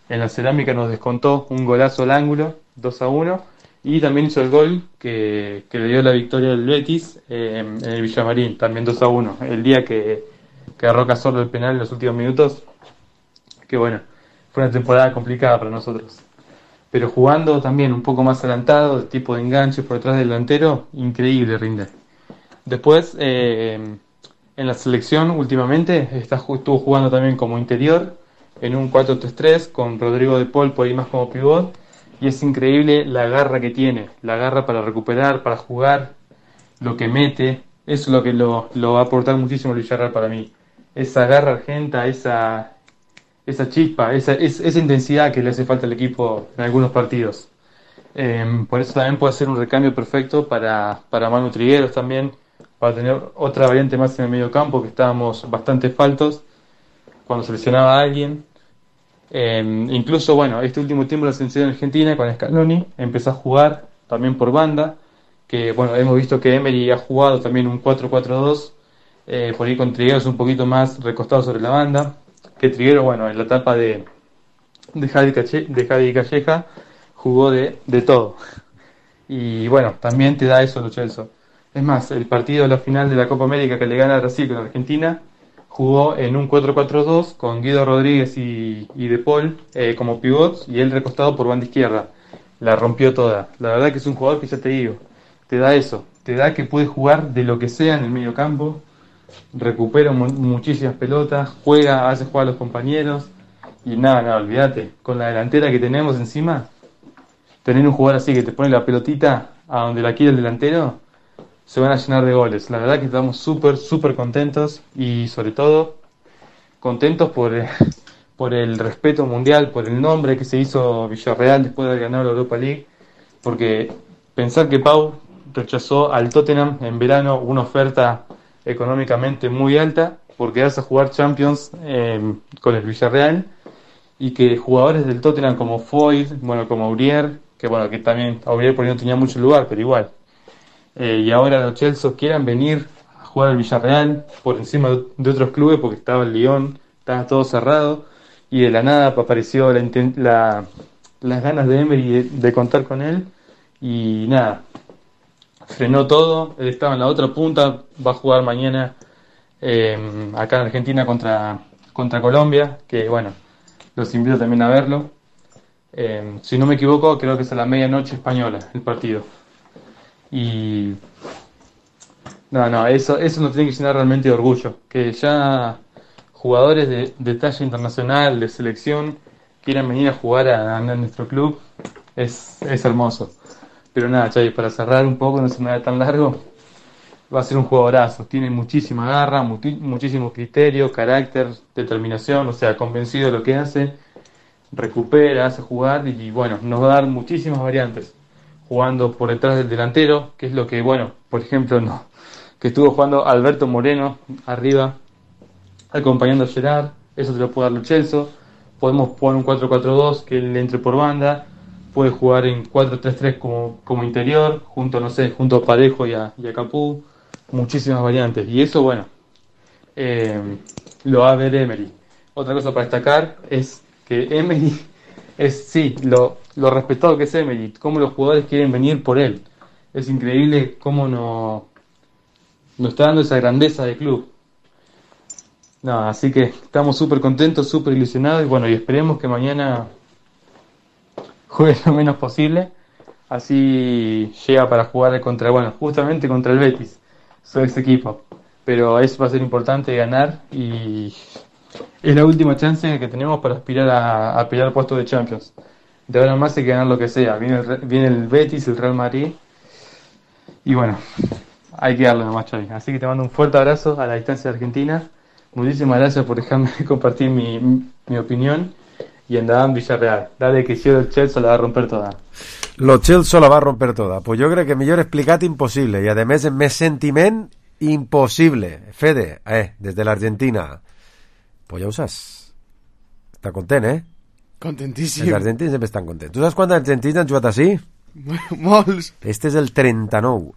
En la Cerámica nos descontó un golazo al ángulo, 2-1, y también hizo el gol que le dio la victoria al Betis en el Villamarín, también 2-1. El día que agarró Cazorla el penal en los últimos minutos, que bueno, fue una temporada complicada para nosotros. Pero jugando también un poco más adelantado, de tipo de enganche por detrás del delantero, increíble rinde. Después, en la selección últimamente, estuvo jugando también como interior, en un 4-3-3, con Rodrigo de Paul por ahí más como pivot, y es increíble la garra que tiene, la garra para recuperar, para jugar, lo que mete. Eso es lo que lo va a aportar muchísimo el Villarreal para mí. Esa garra argenta, esa chispa, esa intensidad que le hace falta al equipo en algunos partidos. Por eso también puede ser un recambio perfecto para Manu Trigueros también, para tener otra variante más en el medio campo, que estábamos bastante faltos cuando seleccionaba a alguien. Incluso, bueno, este último tiempo la selección argentina con Scaloni empezó a jugar también por banda, que bueno, hemos visto que Emery ha jugado también un 4-4-2, por ahí con Trigueros un poquito más recostado sobre la banda, que Trigueros, bueno, en la etapa de Javi Calleja jugó de todo. Y bueno, también te da eso Lo Celso. Es más, el partido de la final de la Copa América que le gana a Brasil con Argentina, jugó en un 4-4-2 con Guido Rodríguez y De Paul como pivots y él recostado por banda izquierda. La rompió toda. La verdad que es un jugador que ya te digo, te da eso, te da que puede jugar de lo que sea en el medio campo, recupera muchísimas pelotas, juega, hace jugar a los compañeros y nada, olvídate, con la delantera que tenemos encima, tener un jugador así que te pone la pelotita a donde la quiere el delantero, se van a llenar de goles. La verdad que estamos súper contentos y sobre todo contentos por el respeto mundial, por el nombre que se hizo Villarreal después de haber ganado la Europa League, porque pensar que Pau rechazó al Tottenham en verano una oferta económicamente muy alta por quedarse a jugar Champions con el Villarreal, y que jugadores del Tottenham como Foyt, como Aurier, que también Aurier por ahí no tenía mucho lugar, pero igual, y ahora los Chelsea quieran venir a jugar al Villarreal por encima de otros clubes, porque estaba el Lyon, estaba todo cerrado, y de la nada apareció las ganas de Emery de contar con él, y nada, frenó todo. Él estaba en la otra punta, va a jugar mañana acá en Argentina contra Colombia, que los invito también a verlo. Si no me equivoco, creo que es a la medianoche española el partido. Y eso nos tiene que llenar realmente de orgullo, que ya jugadores de talla internacional, de selección, quieran venir a jugar a nuestro club, es hermoso. Pero nada, Xavi, para cerrar un poco, no se me da tan largo, va a ser un jugadorazo. Tiene muchísima garra, muchísimo criterio, carácter, determinación, convencido de lo que hace, recupera, hace jugar y nos va a dar muchísimas variantes. Jugando por detrás del delantero, que es lo que, por ejemplo, que estuvo jugando Alberto Moreno arriba, acompañando a Gerard, eso te lo puede dar Lo Celso. Podemos jugar un 4-4-2, que él entre por banda. Puede jugar en 4-3-3 como interior, junto a Parejo y a Capú. Muchísimas variantes. Y eso, lo va a ver Emery. Otra cosa para destacar es que Emery es, lo respetado que es Emery, cómo los jugadores quieren venir por él. Es increíble cómo nos está dando esa grandeza de club. Así que estamos súper contentos, súper ilusionados y esperemos que mañana juegue lo menos posible, así llega para jugar justamente contra el Betis, su ex equipo, pero eso va a ser importante ganar y es la última chance que tenemos para aspirar a pelear puestos de Champions. De ahora en más hay que ganar lo que sea, viene el Betis, el Real Madrid y hay que darle nomás, Xavi. Así que te mando un fuerte abrazo a la distancia de Argentina, muchísimas gracias por dejarme compartir mi opinión. Y andaba en Villarreal. Dale que si el Chelsea la va a romper toda. Lo Chelsea la va a romper toda. Pues yo creo que millor explicat imposible. Y además en més sentiment imposible. Fede, desde la Argentina. Pues ja ho saps. Està content, Contentíssim. Els argentins sempre estan contents. Tu saps quants argentins han jugat així? Molts. Este és el 39.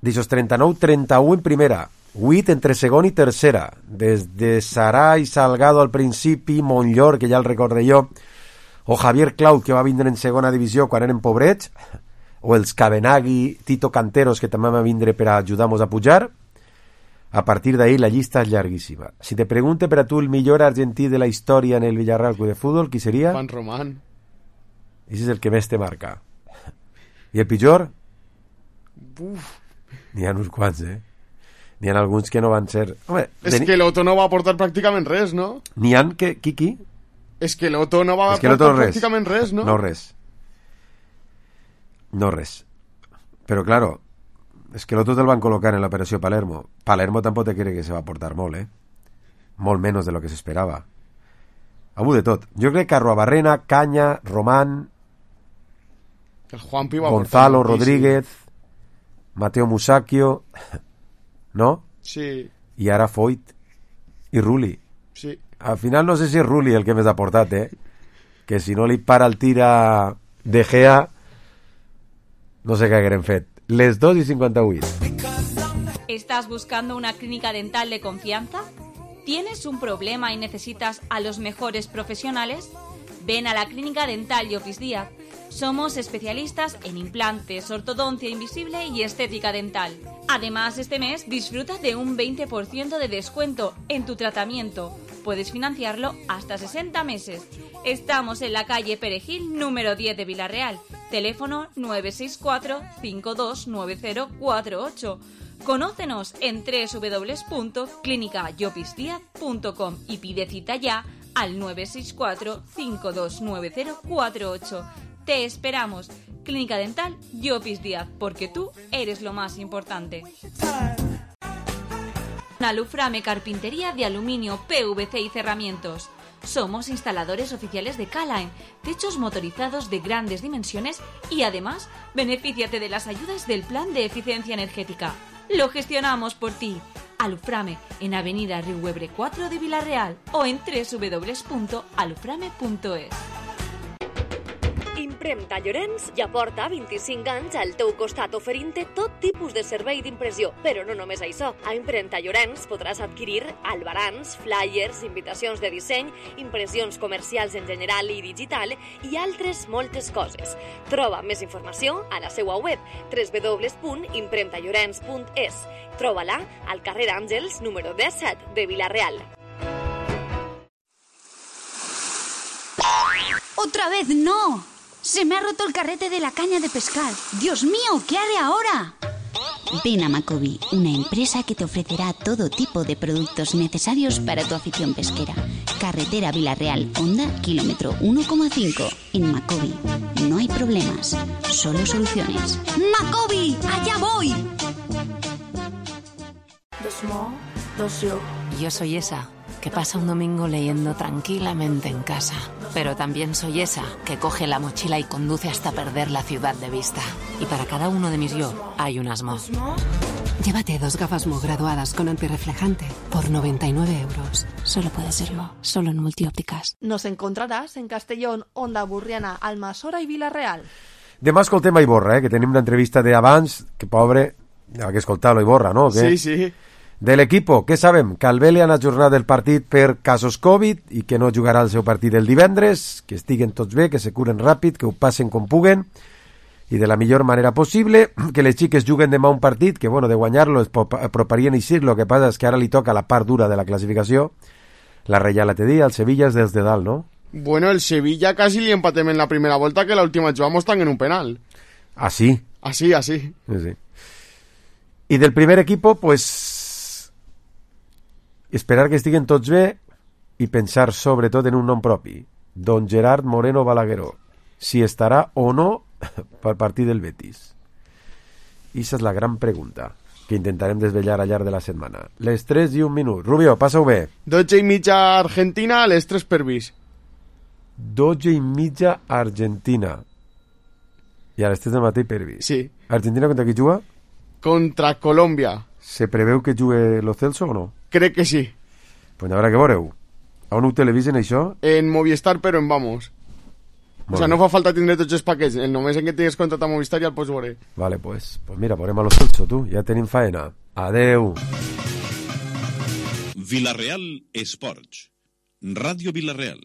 D'aixòs 39, 31 en primera. 8 entre segon i tercera, des de Sarà i Salgado al principi, Montllor, que ja el recordé jo, o Javier Clau, que va vindre en segona divisió quan eren pobrets, o els Cabenagui, Tito Canteros, que també va vindre per a ajudar-nos a pujar. A partir d'ahí la llista és llarguíssima. Si te pregunte per a tu el millor argentí de la història en el Villarreal Club de Fútbol, qui seria? Juan Román. Ese és el que més te marca. I el pitjor? N'hi ha uns quants, N'hi ha alguns que no van ser... Home, és que l'Otto no va aportar pràcticament res, no? N'hi ha que... Qui? És que l'Otto no va aportar pràcticament res, no? No res. Però, claro, és que l'Otto te'l van col·locar en l'operació Palermo. Palermo tampoc te cree que se va aportar molt, Molt menos de lo que s'esperava. Avui de tot. Jo crec que Arruabarrena, Caña, Román, el Juanpi va Gonzalo Rodríguez, Mateo Musacchio... ¿no? Sí. I ara Foyt i Rulli. Sí. Al final no sé si és Rulli el que més ha portat, que si no li para el tir a De Gea no sé què hagueren fet. Les 2:58. ¿Estás buscando una clínica dental de confianza? ¿Tienes un problema y necesitas a los mejores profesionales? Ven a la Clínica Dental y Office Díaz. Somos especialistas en implantes, ortodoncia invisible y estética dental. Además, este mes disfruta de un 20% de descuento en tu tratamiento. Puedes financiarlo hasta 60 meses. Estamos en la calle Perejil, número 10 de Vilarreal. Teléfono 964-529048. Conócenos en www.clinicayopisdiaz.com y pide cita ya al 964-529048. Te esperamos. Clínica Dental Llopis Díaz, porque tú eres lo más importante. Aluframe Carpintería de Aluminio, PVC y Cerramientos. Somos instaladores oficiales de K-Line, techos motorizados de grandes dimensiones y además benefíciate de las ayudas del Plan de Eficiencia Energética. Lo gestionamos por ti. Aluframe en Avenida Riuebre 4 de Vilarreal o en www.aluframe.es. Impremta Llorenç ja porta 25 anys al teu costat oferint-te tot tipus de servei d'impressió. Però no només això. A Impremta Llorenç podràs adquirir albarans, flyers, invitacions de disseny, impressions comercials en general i digital i altres moltes coses. Troba més informació a la seva web www.impremtallorens.es. Troba-la al carrer Àngels, número 17 de Vilarreal. ¡Otra vez no! ¡Se me ha roto el carrete de la caña de pescar! ¡Dios mío! ¿Qué haré ahora? Ven a Macobi, una empresa que te ofrecerá todo tipo de productos necesarios para tu afición pesquera. Carretera Vilarreal, Honda, kilómetro 1,5. En Macobi no hay problemas, solo soluciones. ¡Macobi! ¡Allá voy! Yo soy esa que pasa un domingo leyendo tranquilamente en casa. Pero también soy esa que coge la mochila y conduce hasta perder la ciudad de vista. Y para cada uno de mis yo hay un asmo. Llévate 2 gafas Mo graduadas con antirreflejante por 99 euros. Solo puede serlo, solo en Multiópticas. Nos encontrarás en Castellón, Onda Burriana, Almassora i Vilarreal. Demà escoltem a Iborra, que tenim una entrevista d'abans, que pobre, ha que escoltar-lo Iborra, no? Sí, sí. De l'equipo, què sabem? Que el Vele han ajornat el partit per casos Covid i que no jugarà el seu partit el divendres, que estiguen tots bé, que se curen ràpid, que ho passen com puguen i de la millor manera possible, que les xiques juguen demà un partit que, bueno, de guanyar-lo es aproparien a Isir, lo que passa és que ara li toca la part dura de la classificació. La Reial te dia, el Sevilla és des de dalt, no? Bueno, el Sevilla casi li empatem en la primera volta, que la última jugamos tan en un penal. Ah, sí? Así. Sí. I del primer equipo, pues esperar que estiguen tots bé i pensar sobretot en un nom propi, don Gerard Moreno Balagueró, si estarà o no per partir del Betis. I esa és la gran pregunta que intentarem desvetllar al llarg de la setmana. Les 3:01. Rubio, passa-ho bé. 12:30 Argentina, les 3 per vis. 12:30 Argentina. I a les 3 del matí per vis. Sí. Argentina contra qui juga? Contra Colòmbia. Se preveu que jugue Lo Celso o no? Crec que sí. Pues habrá que veure-ho. On ho televisen, això? En Movistar, però en Vamos. O sea, no fa falta tindre tots els paquets. Només en que tingues contracte a Movistar ja el pots veure. Vale, pues mira, veurem a Lo Celso, tu. Ja tenim faena. Adeu. Vilarreal Esports. Ràdio Vilarreal.